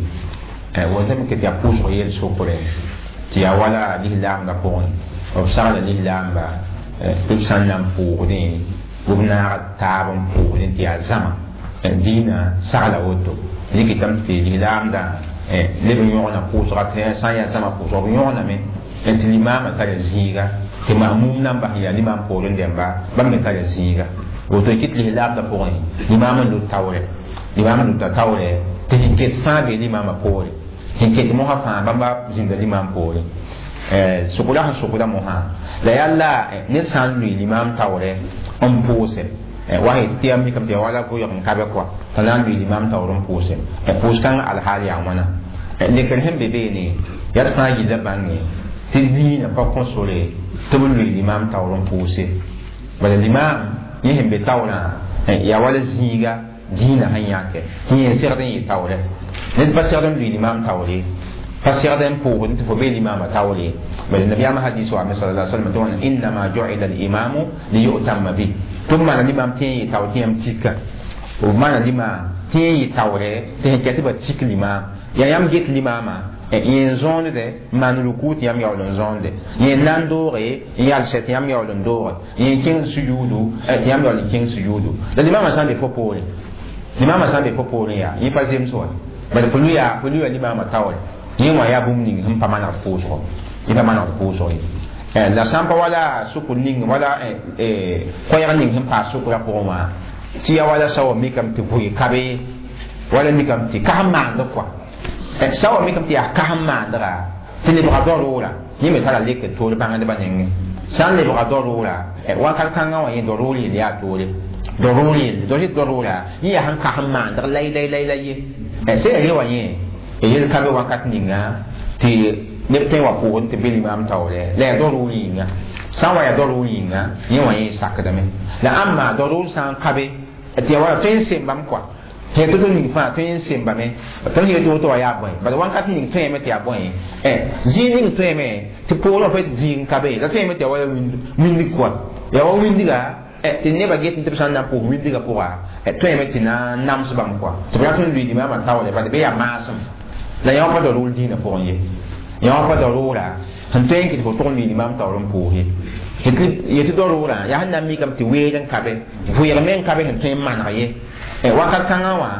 Wotame tɩ yaa pʋʋsg yel sokre tɩ yaa wala lislaamdã pʋgẽ b sagla lislaamba tɩ b sã n na n pʋʋgdẽ b naag taab n pʋʋgdẽ tɩ yaa zãma dĩinã sagla woto rɩkɩtame tɩ lislaamdã leb n yõgna pʋʋsga tɩ sã n yaa zãma pʋʋsg b yõgname tɩ limaamã tara zĩiga tɩ mamum nan bas yaa limaam poorẽ dẽmba bãmb me tara zĩiga woto y kɩt lislaamdã pʋgẽ limaam n lut taoorɛ limaam n luta taoorɛ tɩ sẽn ket fãa bee limaamã poore sẽn ket mosã fãa bãmba zĩnda limaam poore sʋkra sẽn sʋkda mosã la yaa la ned sã n lʋɩ limaam taoorɛ n pʋʋse wa tɩ yaa mikame tɩ yaa wala goyg n ka be kɔa t'a na n lʋɩ limaam taoor n pʋʋse pʋʋs-kãngã alhaal yaa wãna lekr sẽn be beene yaa tɩ fãa yilla bãnge tɩ dĩinã pa kõ sore tɩ b lʋɩ limaam taoor n pʋʋse bala limaam yẽ sẽn be taoorã yaa wala zĩiga dĩinã sẽn yãke tɩ yẽ segd n yɩ taoorɛ ned pa segd n lʋɩ limaam taoore pa segd n pʋʋgd tɩ fo bee limaamã taoore bala nabiyaamã hadis wa sala sallam tɩ wãna innama ju'ila al-imamu liyu'tamma bih tɩ b maana limaam tɩ yẽ yɩ tao tɩ yãmb tika b maana limaam tɩ yẽ yɩ taoorɛ tɩ sẽn kɛ tɩ ba tik limaam yaa yãmb get limaamã yẽ n zõonde n maan ruku tɩ yãmb yaool n zõonde yẽ n na n dooge n yalsɛ tɩ yãmb yaool n dooge yẽ n kẽng sujuudu tɩ yãmb yaool n kẽng sujuudu la limaamã sã n be fo poore limaamã sã n be fo poorẽ yaa yẽ pa zems wa bala fo lʋya limaamã taoore yẽ wã yaa bũmb ning sẽn pa manegd pʋʋsgo yẽ pa manegd pʋʋsg ye la sã n pa wala sʋkr ning wala koɛɛg ning sẽn paas sʋkrã pʋgẽ wã tɩ yaa wala sa wa mikame tɩ vʋɩ ka be wala mikame tɩ kas n maand kɔa sã wa mikame tɩ yaa kas n maandga tɩ lebga daroora yẽ me tara lekr toor bãngdbã nengẽ sã n lebga daroora wakat kãngã wã yẽ daroor yell yaa toore daroor yelle dao rɩt daroora yẽ yaa sẽn kas n maandg lay lay lay lay ye sẽn yaa re wã yẽ yel ka be wakat ninga tɩ neb tõe n wa pʋʋgẽ tɩ be limaam taoorɛ la yaa daroor yĩnga sã n wa yaa daroor yĩnga yẽ wã yẽ sakdame la ãmba daroor sã n ka be tɩ yaa wala tõe n sembame kɔa sẽn tɩ ning fãa tõe n sembame tõnd sẽn yetɩ woto wa yaa bõe bala wakat ning tõeme tɩ yaa bõe zĩig ning tõeme tɩ poorẽ fa zĩig n ka be la tõeme tɩ yaa wala windig kɔa yaa wa windiga tɩ nebã get tɩ b sã n na n pʋʋs windigã pʋga tõeme tɩ na n nams bãmb kɔa tɩ b rat n lʋɩ limaamã taoorɛ bala bɩ yaa maasem la yã wã pa daroor dĩinã pʋgẽ ye yã wã pa daroora sẽn tõe n kɩt fo tʋg n lʋɩ limaam taoor n pʋʋs ye yetɩ daroorã yaa sẽn na n mikame tɩ weeg n ka be vʋɩg me n ka be sẽn tõe n maneg ye wakat kãngã wã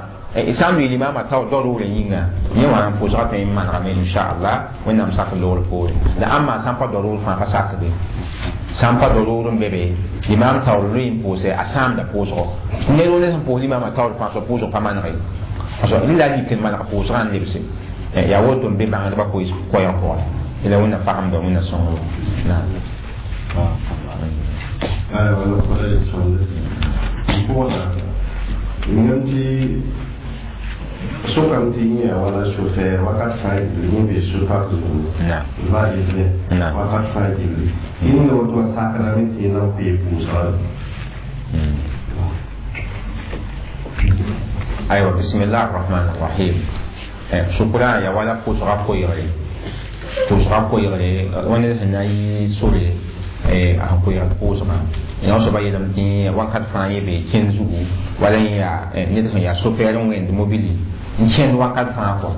sã n lʋɩ limaamã taoor daroorã yĩnga yẽ wã n pʋʋsgã tõe n manegame inchallah wẽnnaam sak loogr poore la ãmba sã n pa daroor fãa pa sakde sã n pa daroor n be be limaam taoor lʋɩ n pʋʋse a sãamda pʋʋsgo ned wo ne sẽn pʋʋs limaamã taoor fãa so pʋʋsg pa maneg ye rẽ la lik n maneg pʋʋsgã n lebse yaa woto n be bãngdbã koɛɛg pʋgẽ la wẽnna fagemda wẽnna sõngr naam. Ngam tɩ sokame tɩ yẽ yaa wala sofɛɛr wakat fãa gilli yẽ bee so-pak zugu va gilli wakat fãa gilli yẽ ninga woto wã sakrame tɩ yẽ na n pee pʋʋsga. Aywa, bismillah arrahman arrahim. Sʋkrã yaa wala pʋʋsga koeegre pʋʋsga koeegre wãnda sẽn na n yɩ sore a sẽn koeegd pʋʋsgã yã soaba yeelame tɩ wakat fãa yẽ bee kẽnd zugu wala yẽ yaa ned sẽn yaa sofɛɛr n wẽnd mobili n kẽnd wakat fãa kɔ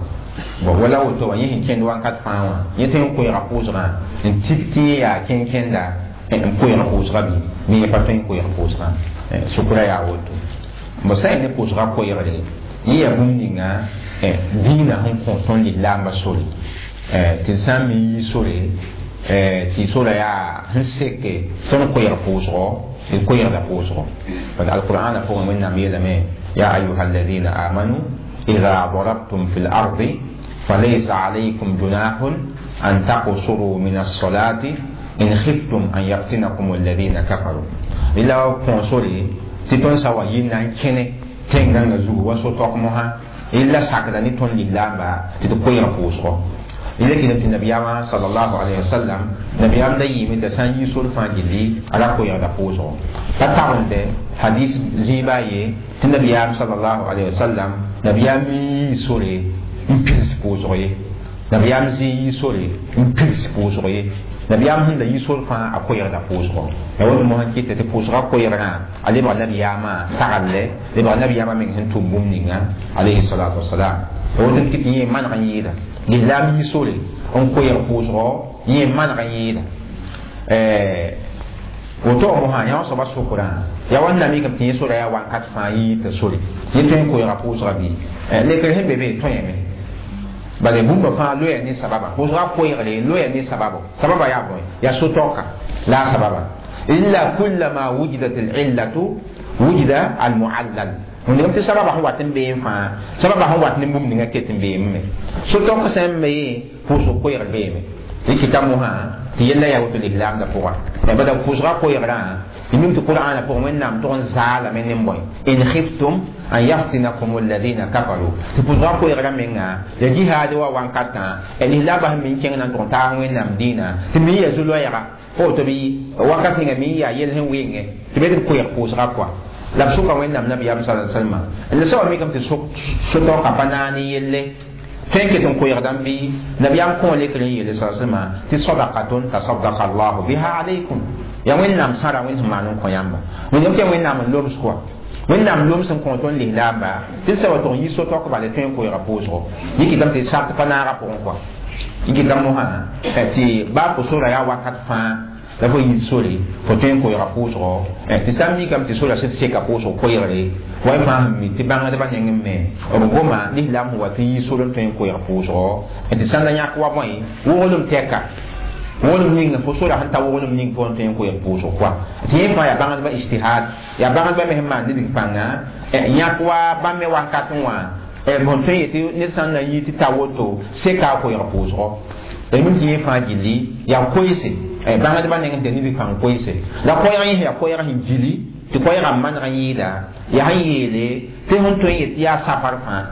bon wala woto wã yẽ sẽn kẽnd wakat fãa wã yẽ tõe n koeega pʋʋsgã n tik tɩ yẽ yaa kẽn-kẽnda n koeeg pʋʋsga bɩ me yẽ pa tõe n koeeg pʋʋsgã sʋkrã yaa woto bõ sã n ne pʋʋsga koeegre yẽ yaa bũmb ninga dĩinã sẽn kõ tõnd lislaambã sore tɩ sã n me yi sore tɩ sora yaa sẽn seke tõnd koeeg pʋʋsgɔ tɩ koeegda pʋʋsgɔ bala alqur'ana pʋgẽ wẽnnaam yeelame ya ayuha alladina amanu ida darabtum fi lardi falaysa alaykum junahun an taqsuru min alsolati In khiftum an yaftinakum alladhina kafaru ila konsore tɩ tõnd sa wa yɩ na n kẽne tẽn-gãngã zugu wa so-tok mosã illa sakda ne tõnd lislaamba tɩ d koɛɛg pʋʋsgɔ ila kɩdem tɩ nabiyaamã sallallahu alayhi wa sallam nabiyaam da yɩɩme t'a sã n yi sor fãa gilli a ra koɛɛgda pʋʋsgɔ pa tagende hadis zĩiba a ye tɩ nabiyaam sallallahu alayhi wa sallam nabiyaam yii sore n pils pʋʋsg ye nabiyaam zĩ yi sore n pils pʋʋsg ye nabiyaam sẽn da yi sor fãa a koɛɛgda pʋʋsgɔ ya woto mosã kɩta tɩ pʋʋsgã koɛɛgrã a lebg nabiyaamã saglle lebg nabiyaamã meng sẽn tʋm bũmb ninga alayhi salatu wasalam ya woto n kɩt yẽ maneg n yɩɩda lislaam yi sore n koɛɛg pʋʋsgɔ yẽ maneg n yɩɩda woto mosã yã wã soaba sokrã ya wa n na mikame tɩ yẽ sora yaa wakat fãa yɩ t'a sore yẽ tõe n koɛɛga pʋʋsga bɩ lekr sẽn be be tõe bala bũmba fãa loya ne sababa pʋʋsga koɛɛgre loya ne sababo sababa yaa bõe yaa so-taoka la a sababa illa kullama wujidat alillatu wujida almuallal wẽnnaam tɩ sababa sẽn wat n beem fãa sababa sẽn wat ne bũmb ninga ket n beeme so-taok sã n me pʋʋsg koɛɛgr beeme rɩkɩta mosã tɩ yella yaa woto lislaamdã pʋga bada pʋʋsga koɛɛgrã tɩ mim tɩ qur'ana pʋgẽ wẽnnaam tʋg n zaalame ne bõe in khiftum an yaftinakum alladhina kafaru tɩ pʋʋsga koɛɛgrã menga ya jihaad wa wankatã lislaambã sẽn min kẽng na n tʋg n taas wẽnnaam dĩinã tɩ min ya zu-loɛɛga fo woto bɩ wakat ninga min yaa yel sẽn wɩngẽ tɩ be tɩ b koɛɛg pʋʋsga kɔa la b sʋka wẽnnaam nabiyaam sa salma la soaba mikame tɩ so-taoka pa naag ne yelle tõe n ket n koɛɛgdãmb bɩ nabiyaam kõ lekr n yeele sa salma tɩ sadakatun tasadaka allahu biha alaykum ya wẽnnaam sãra wẽnd sẽn maan n kõ yãmba wẽnnaam tɩ ya wẽnnaam n loms kɔa wẽnnaam loms n kõ tõnd lislaamba tɩ sã wa tʋg n yi so-taok bala tõe n koɛɛga pʋʋsgo yẽ kɩtame tɩ sart pa naaga pʋgẽ kɔa yẽ kɩtame mosã tɩ baa fo sora yaa wakat fãa la fo yit sore fo tõe n koɛɛga pʋʋsgɔ tɩ sã n mikame tɩ sora sẽd seka pʋʋsg koɛɛgre wa y fãa sẽn mi tɩ bãngdbã nengẽ me b goma lislaam sẽn wa tɩ yi sor n tõe n koɛɛg pʋʋsgɔ tɩ sãn da yãk wa bõe woglem tɛka woglem ning fo sora sẽn ta woglem ning fo n tõe n koɛɛg pʋʋsg kɔa tɩ yẽ fãa yaa bãngdbã ijtihad yaa bãngdbã me sẽn maan nidg pãnga yãk wa bãmb me wakat n wã bõn tõe n yetɩ ned sã n na yɩ tɩ ta woto seka a koɛɛg pʋʋsgɔ la mim tɩ yẽ fãa gilli yaa koeese bãngdbã nengẽ tɩ nidg pãng koeese la koɛɛg yẽ yaa koɛɛg sẽn gili tɩ koɛɛgã maneg n yɩɩda yaa sẽn yeele tɩ sẽn tõe n yet yaa safar fãa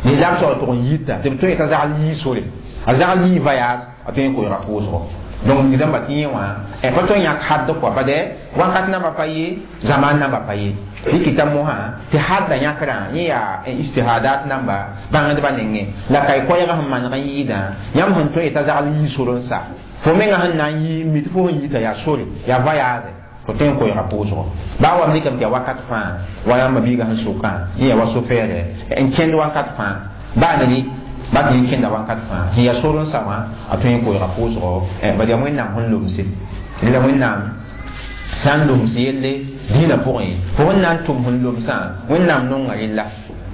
lislaam soab tʋg n yita tɩ b tõe t'a zagl yii sore a zagl yii voyage a tõe n koɛɛga pʋʋsgɔ donc nidãmba tɩ yẽ wã pa tõe n yãk hadd kɔa bade wakat namba pa ye zaman namba pa ye rɩkɩta mosã tɩ hadda yãkrã yẽ yaa ijtihadat namba bãngdbã nengẽ la ka y koɛɛgã sẽn maneg n yɩɩdã yãmb sẽn tõe yet'a zagl yii sor n sa fo menga sẽn na n yɩ mi tɩ fo sẽn yita yaa sore yaa voyage fo tõe n koɛɛga pʋʋsgɔ baa wa mikame tɩ yaa wakat fãa wa yãmba biigã sẽn sʋkã yẽ yaa wa so-fɛɛrɛ n kẽnd wakat fãa baa ne ba tɩ yẽ kẽnda wakat fãa sẽn yaa sor n sa wã a tõe n koɛɛga pʋʋsgɔ bad yaa wẽnnaam sẽn lomse la wẽnnaam sã n loms yelle dĩinã pʋgẽ fo sẽn na n tʋm sẽn lomsã wẽnnaam nonga rella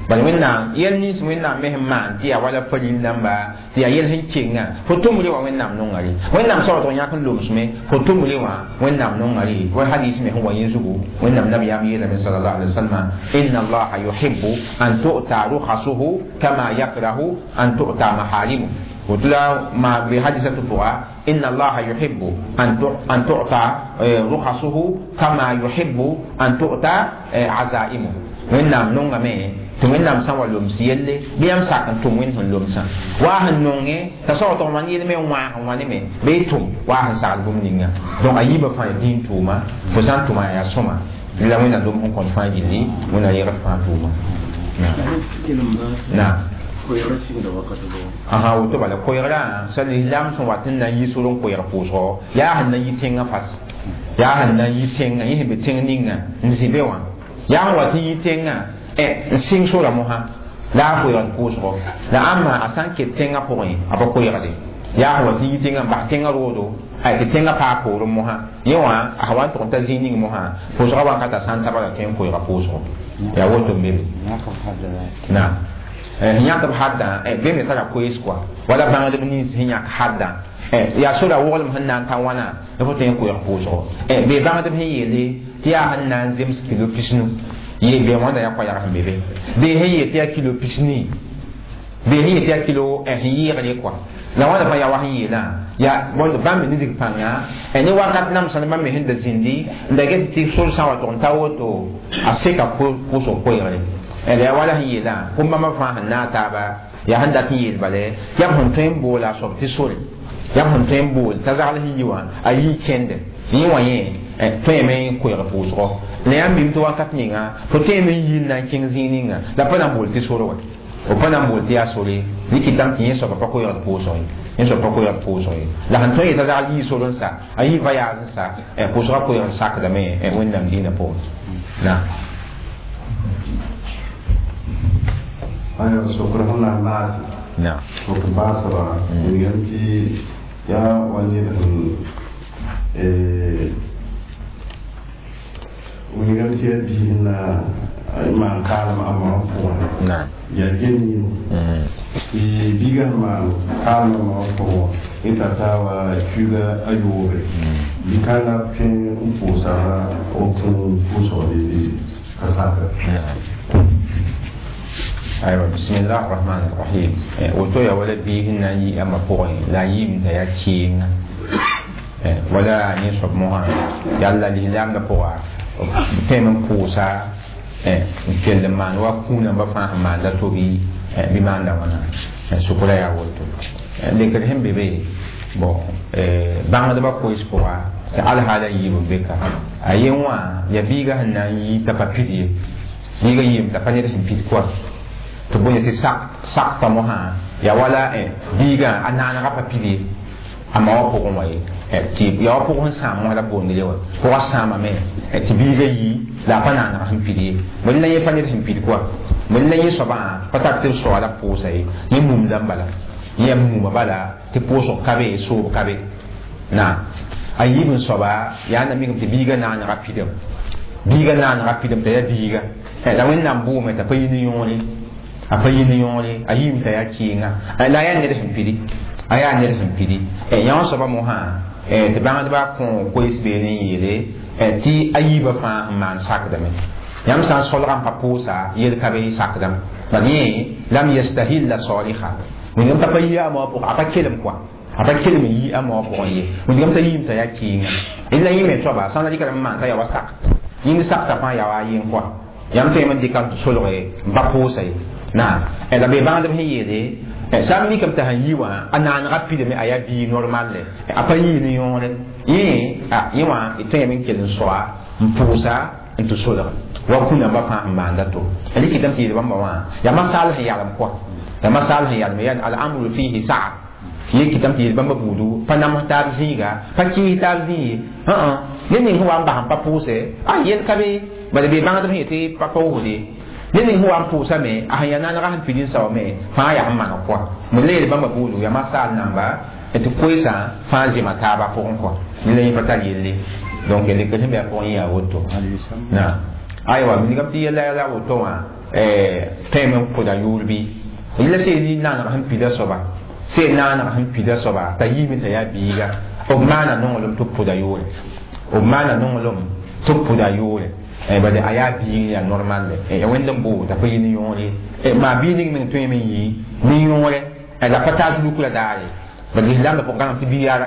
bala wẽnnaam yɛl nins wẽnnaam me sẽn maan tɩ yaa wala palil namba tɩ yaa yɛl sẽn kenga fo tʋmre wã wẽnnaam nonga re wẽnnaam soab tɩg yãk n lomsme fo tʋmre wã wẽnnaam nonga re wa hadis me sẽn wa yẽ zugu wẽnnaam nabiyaam yeelame sallallahu alaihi wasallam inna allaha yuhibbu an tu'ta rukhasuhu kama yakrahu an tu'ta maharimu وتلا ما بحديثة فوقا إن الله يحب أن تعطى رخصه كما يحب أن تؤتى عزائمه وإنام نونغ مي tɩ wẽnnaam sã n wa loms yelle bɩ yãmb sak n tʋm wẽnd sẽn lomsã waa sẽn nonge t'a soab tɩg maan yel me n wãag n wã ne me bɩ y tʋm waa sẽn sagl bũmb ninga donc a yiibã fãa yaa dĩin tʋʋma fo sã n tʋma yaa sõma la wẽnnaam lom sẽn kõt fãa gilli wẽnnaam yegd fãa tʋʋma naam aha woto bala koɛɛgrã sa lislaam sẽn wat n na n yi sor n koɛɛg pʋʋsgɔ yaa sẽn na n yi tẽngã fas yaa sẽn na n yi tẽngã yẽ sẽn be tẽng ninga n zĩ be wã yaa sẽn wat n yi tẽngã n sɩng sora mosã la a koɛɛgd pʋʋsgɔ la ãmba a sã n ket tẽngã pʋgẽ a pa koɛɛgde yaa sẽn wat n yi tẽngã n bas tẽngã roodo tɩ tẽngã paa poorẽ mosã yẽ wã a wa n tʋg n ta zĩig ning mosã pʋʋsgã wakat a sã n ta bala tõe n koɛɛga pʋʋsgɔ yaa woto n be be naam yãkb haddã be me tara koees kɔa wala bãngdb nins sẽn yãk haddã yaa sora woglem sẽn na n ta wãna la fo tõe n koɛɛg pʋʋsgɔ be bãngdb sẽn yeele tɩ yaa sẽn na n zems kilo pisnu ye be wãnda yaa koɛɛg sẽn be be bee sẽn yeel tɩ yaa kilo pisni bee sẽn yeel tɩ yaa kilo sẽn yɩɩgre kɔa la wãnda fãa yaa wa sẽn yeelã Ya bõnd bãmb me nisg pãnga ne wakat namsã ne bãmb me sẽn da zĩndi n da get tɩ sor sã n wa tʋg n ta woto a seka pʋʋsg koeegre la yaa wala sẽn yeelã pʋm-bãmbã fãa sẽn naag taaba yaa sẽn dat n yeel bale yaa b sẽn tõe n boola a soab tɩ sore yaa b sẽn tõe n bool t'a zagl sẽn yi wã a yii kẽnde yẽ wã yẽ tõeme n koeeg pʋʋsgɔ la yãmb mim tɩ wakat ninga fo tõeme n yii n na n kẽng zĩig ninga la pa na n bool tɩ sore wa b pa na n bool tɩ yaa sore rɩkɩtame tɩ yẽ soaba pa koeegd pʋʋsg ye yẽ soab pa koeegd pʋʋsg ye la sẽn tõe yetã zagl yii sor n sa a yii voyage n sa pʋʋsgã koeegd sakdame Wẽnnaam dĩinã pʋgẽ na aya sokr sẽn na n baase sokr baasba wilgame tɩ yaa wa ned sẽn wilgame tɩ yaa biis na maan kaalem a ma wã pʋgẽ yaa gem yĩm tɩ biigã sẽn maan kaalem a ma wã pʋgẽ yẽ t'a taaba kuiga a yoobe bi-kãngã tõe n pʋʋsa la b tẽn pʋʋsgde ka sakr. Aywa bismillah rahman rahim woto ya wala biig n na n yi a ma pʋgẽ la a yiim t'a yaa kɩɩnga wala yẽ soab mosã yalla lislaamdã pʋga b tõeme n pʋʋsa n kell n maan wa kũunãmbã fãa sẽn maanda to bɩ maanda wãna sʋkra yaa woto lekd sẽn be be bon bãngdbã koees pʋga tɩ alhaala yiib n be ka a yen wã yaa biigã sẽn na n yi t'a pa pid ye biigã yiim t'a pa ned sẽn pid kɔa tɩ bõe tɩ sakta mosã yaa wala biigã a naanegã pa pid ye a ma wã pʋgẽ wã ye tɩ yaa wa pʋg sẽn sãam mosã la boond ye wã pʋgã sãamame tɩ biigã yi la a pa naaneg sẽn pid ye bõe la yẽ pa ned sẽn pid kɔa bõe la yẽ soabã pa tar tɩ b soa la pʋʋsa ye yẽ mumdã n bala yẽ muma bala tɩ pʋʋsg ka be soob ka be na a yiib n soaba yaa na mikame tɩ biigã naanegã pidame biigã naanegã pidame t'a yaa biiga la Wẽnnaam bʋʋme t'a pa yi ne yõore a pa yi ne yõore a yiim t'a yaa kɩɩnga la a yaa ned sẽn pidi a yaa ned sẽn pidi yã wã soaba mosã tɩ bãngdbã kõ koees beene n yeele tɩ a yiibã fãa n maan sakdame yãmb sã n solga n pa pʋʋsa yel ka be sakdame bad yẽ lam yastahilla saliha wẽnnaam t'a pa yi a moa pʋgẽ a pa kelem kɔa a pa kelem n yi a moa pʋgẽ ye wẽnnaam t'a yiim t'a yaa kɩɩnga la yẽ me soaba sã n la dɩka n maan t'a yaa wa sakt yĩng sakta fãa yaa wa a yen kɔa yãmb tõeme n dɩka n solge n pa pʋʋsa ye na la be bãngdb sẽn yeele sã n mikame t'a sẽn yi wã a naanegã pidame a yaa bii normal le a pa yii ne yõore yẽ yẽ wã d tõeme n kell n soa n pʋʋsa n tɩ solg wa kũnãmbã fãa sẽn maanda to rɩkɩtame tɩ yeel bãmba wã yaa masaal sẽn yalem kɔa yaa masaal sẽn yalem yaa al-amru fihi sa'a yẽ kɩtame tɩ yeel bãmba buudu pa nams taab zĩiga pa kɩɩs taab zĩig ye ned ning sẽn wa n bas n pa pʋʋsɛ a yel ka be bala be bãngdb sẽn yetɩ pa paoosde ned ning sẽn wa n pʋʋsame a sẽn yaa naanegã sẽn pid n saoome fãa yaa sẽn maneg kɔa me la yeel bãmba buudu yaa masaal namba tɩ koeesã fãa zẽma taabã pʋgẽ kɔa ne la yẽ pa tar yelle donc lekr sẽn be a pʋgẽ yaa woto na aywa wilgame tɩ yɛla la woto wã tõeme n pʋda yʋʋr bɩ yella seel naaneg sẽn pida soaba seel naaneg sẽn pida soaba t'a yiime t'a yaa biiga b maana nonglem tɩ b pʋda yʋʋre b maana nonglem tɩ b pʋda yʋʋre bala a yaa biig yaa normal le ya wẽnd n boo t'a pa yi ne yõore maa biig ning meng tõeme n yi ne yõore la pa taa zulukra daare bala lislaamdã pʋgẽ gãnem tɩ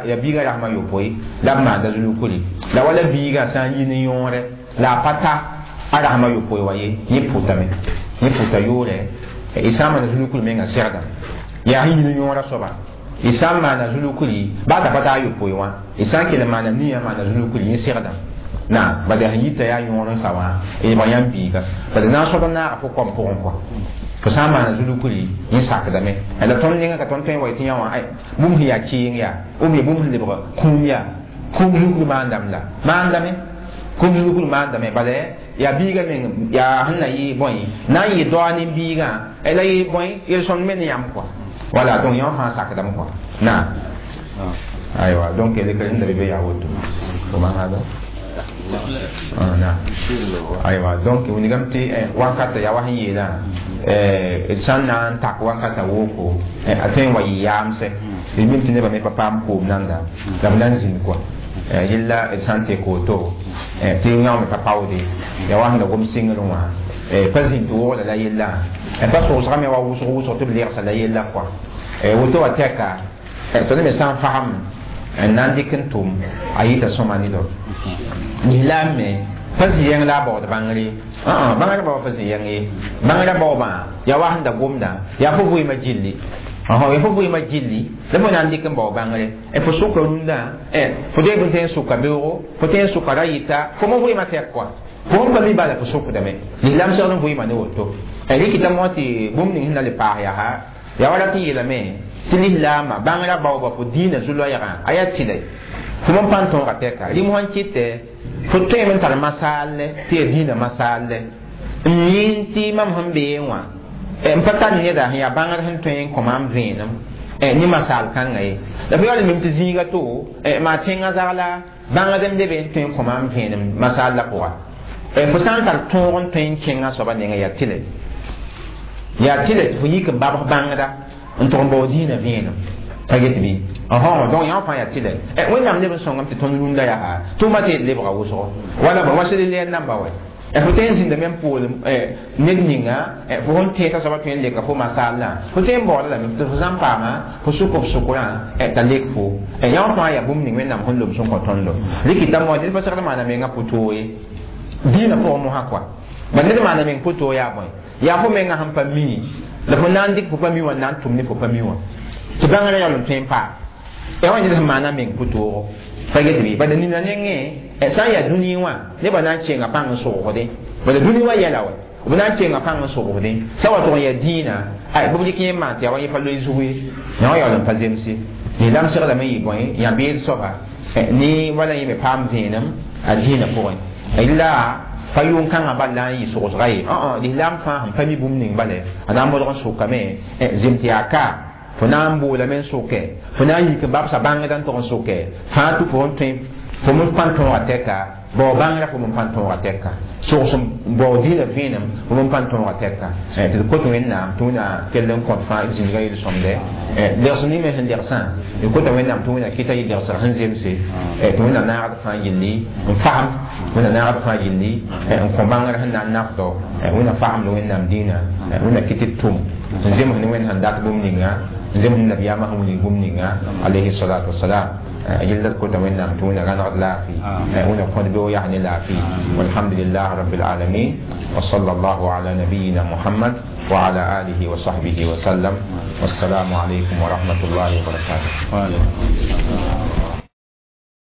yaa biigã rasmã yopoe la b maanda zulukre la wala biigã sã n yi ne yõore la a pa ta a rasmã yopoe wa ye yẽ pʋtame yẽ pʋta yʋʋrɛ y sã n maana zulukr mengã segda yaa sẽn yi ne yõorã soaba y sã n maana zulukri baa t'a pa taa yopoe wã y sã n kell n maana nia maana zulukri yẽ segda na bala sẽn yita yaa yõor n sa wã y ba yãmb biiga bala na n soab n naaga fo kom pʋgẽ kɔa fo sã n maana zulukri yẽ sakdame la tõnd ninga ka tõnd tõe n wa tɩ yã wã bũmb sẽn yaa kɩɩng yaa b bũmb sẽn lebg kũum yaa kũum zulukr maandame la maandame kũum zulukr maandame bala yaa biiga meng yaa sẽn na yɩ bõe na n yɩ doa ne biigã la yɩ bõe yel-sõmd me ne yãmb kɔa voilà donc yã wã fãa sakdame kɔa na aywa donc lekr sẽn da be be yaa woto comment hada na aywa donc wilgame tɩ wakata yaa wa sẽn yeelã d sã n na n tak wakata woko a tõe n wa yɩ yaamsɛ d mim tɩ nebã me pa paam koom nanda la b na n zĩnd kɔa yella d sã n tek woto tɩ yã me pa paoode yaa wa sẽn da gom sɩngr wã pa zĩnd tɩ wogla la yella pa sogsgame wa wʋsg wʋsg tɩ b lɛgsa la yella kɔa woto wa tɛka tõnd me sã n fasem N na n dɩk n tʋm a yɩta sõma ne do lislaam me pa zĩ yẽng la a baood bãngre bãngrã bao pa zĩ yẽng ye bãngrã baoobã yaa wa sẽn da gomdã yaa fo vɩɩmã gilli ya fo vɩɩmã gilli la fo na n dɩk n bao bãngre fo sʋka rũndã fo deeb n tõe n sʋka beoogo fo tõe n sʋka ra yɩta fo mo vɩɩmã tɛk kɔa fo sẽn pa mi bala fo sʋkdame lislaam segd n vɩɩmã ne woto rɩkɩta mo tɩ bũmb ning sẽn na le paas yaa yaa wa rat n yeelame tɩ lislaamã bãngrã baooba fo dĩinã zu-loɛɛgã a yaa tɩlɛ fo m pa n tõoga tɛka rɩm sẽn kɩtɛ fo tõeme n tar masaalle tɩ yaa dĩinã masaalle n yĩn tɩ mam sẽn beẽ wã n pa tar neda sẽn yaa bãngr sẽn tõe n kõ maam vẽenem ne masaal kãngã ye la fo yaool mim tɩ zĩiga to maa tẽngã zagla bãngd n be be n tõe n kõ maam vẽenem masaal la pʋga fo sã n tar tõog n tõe n kẽngã soaba nengẽ yaa tɩlɛ yaa tɩlɛ tɩ fo yik n babs bãngda n tʋg n bao dĩinã vẽenem pa get bɩ donc yã fãa yaa tɩlɛ wẽnnaam leb n sõngame tɩ tõnd rũndã yaa tʋʋma tɩ lebga wʋsgo wala wa sel lɛɛr namba wɛ fo tõe n zĩnda me n poolem ned ninga fo sẽn tẽe t'a soaba tõe n leka fo masaalã fo tõe n baooda lame tɩ fo sã n paama fo sʋk f sʋkrã t'a lek fo yã fãa yaa bũmb ning wẽnnaam sẽn loms n kõ tõndo rɩkɩta mo ned pa segd maana menga pʋ-toog ye dĩinã pʋgẽ mosã kɔa ba ned maana meng pʋ-toog yaa bõe yaa fo menga sẽn pa mi la fo na n dɩk fo pa mi wã na n tʋm ne fo pa mi wã tɩ bãngrã yaool n tõe n paam ya wa ned sẽn maana meng pʋ-toogo pa get bɩ bala nina nengẽ sã n yaa dũni wã nebã na n kẽnga pãng n sʋgsdẽ bala dũni wã yɛla wɛ b na n kẽnga pãng n sʋgsdẽ sã wa tʋg n yaa dĩinã ay bɩ b dɩk yẽ n maan tɩ yaa wa yẽ pa loe zug ye yã wã yaool n pa zemse lislaam seglame yɩ bõe yã-beed soaba ne wala yẽ me paam vẽenem a dĩinã pʋgẽ la pa yʋʋn kãngã bal la n yɩ sogsga ye lislaam fãa sẽn pa mi bũmb ning bala a na n modg n sʋkame zem tɩ yaa ka fo na n boolame n sʋkɛ fo na n yik n babsa bãngda n tʋg n sʋkɛ fãa tʋ fo n tõe fo m pa n tõoga tɛka bao bãngrã fo m pa n tõoga tɛka sogs bao dĩinã vẽenem fo m pa n tõoga tɛka tɩ d kot wẽnnaam tɩ wẽna kell n kõt fãa d zĩnigã yel-sõmdɛ legs nime sẽn legsã d kota wẽnnaam tɩ wẽna kɩta yɩ legsg sẽn zemse tɩ wẽna naagd fãa gilli n fasem wẽna naagd fãa gilli n kõ bãngr sẽn na n nafdo wẽna fasemd wẽnnaam dĩinã wẽna kɩ tɩ d tʋm n zems ne wẽnd sẽn dat bũmb ninga n zems ne nabiyaamã sẽn wilg bũmb ninga alayhi salatu wasalam yella d kota wẽnnaam tɩ wẽna rãnegd laafɩ wẽna kõd beoog yaa ne laafɩ walhamdulillah rabbil alamin wa sallallahu ala nabiyina muhammad wa ala alihi wa sahbihi wa sallam wassalamu alaykum wa rahmatullahi wa barakatuh.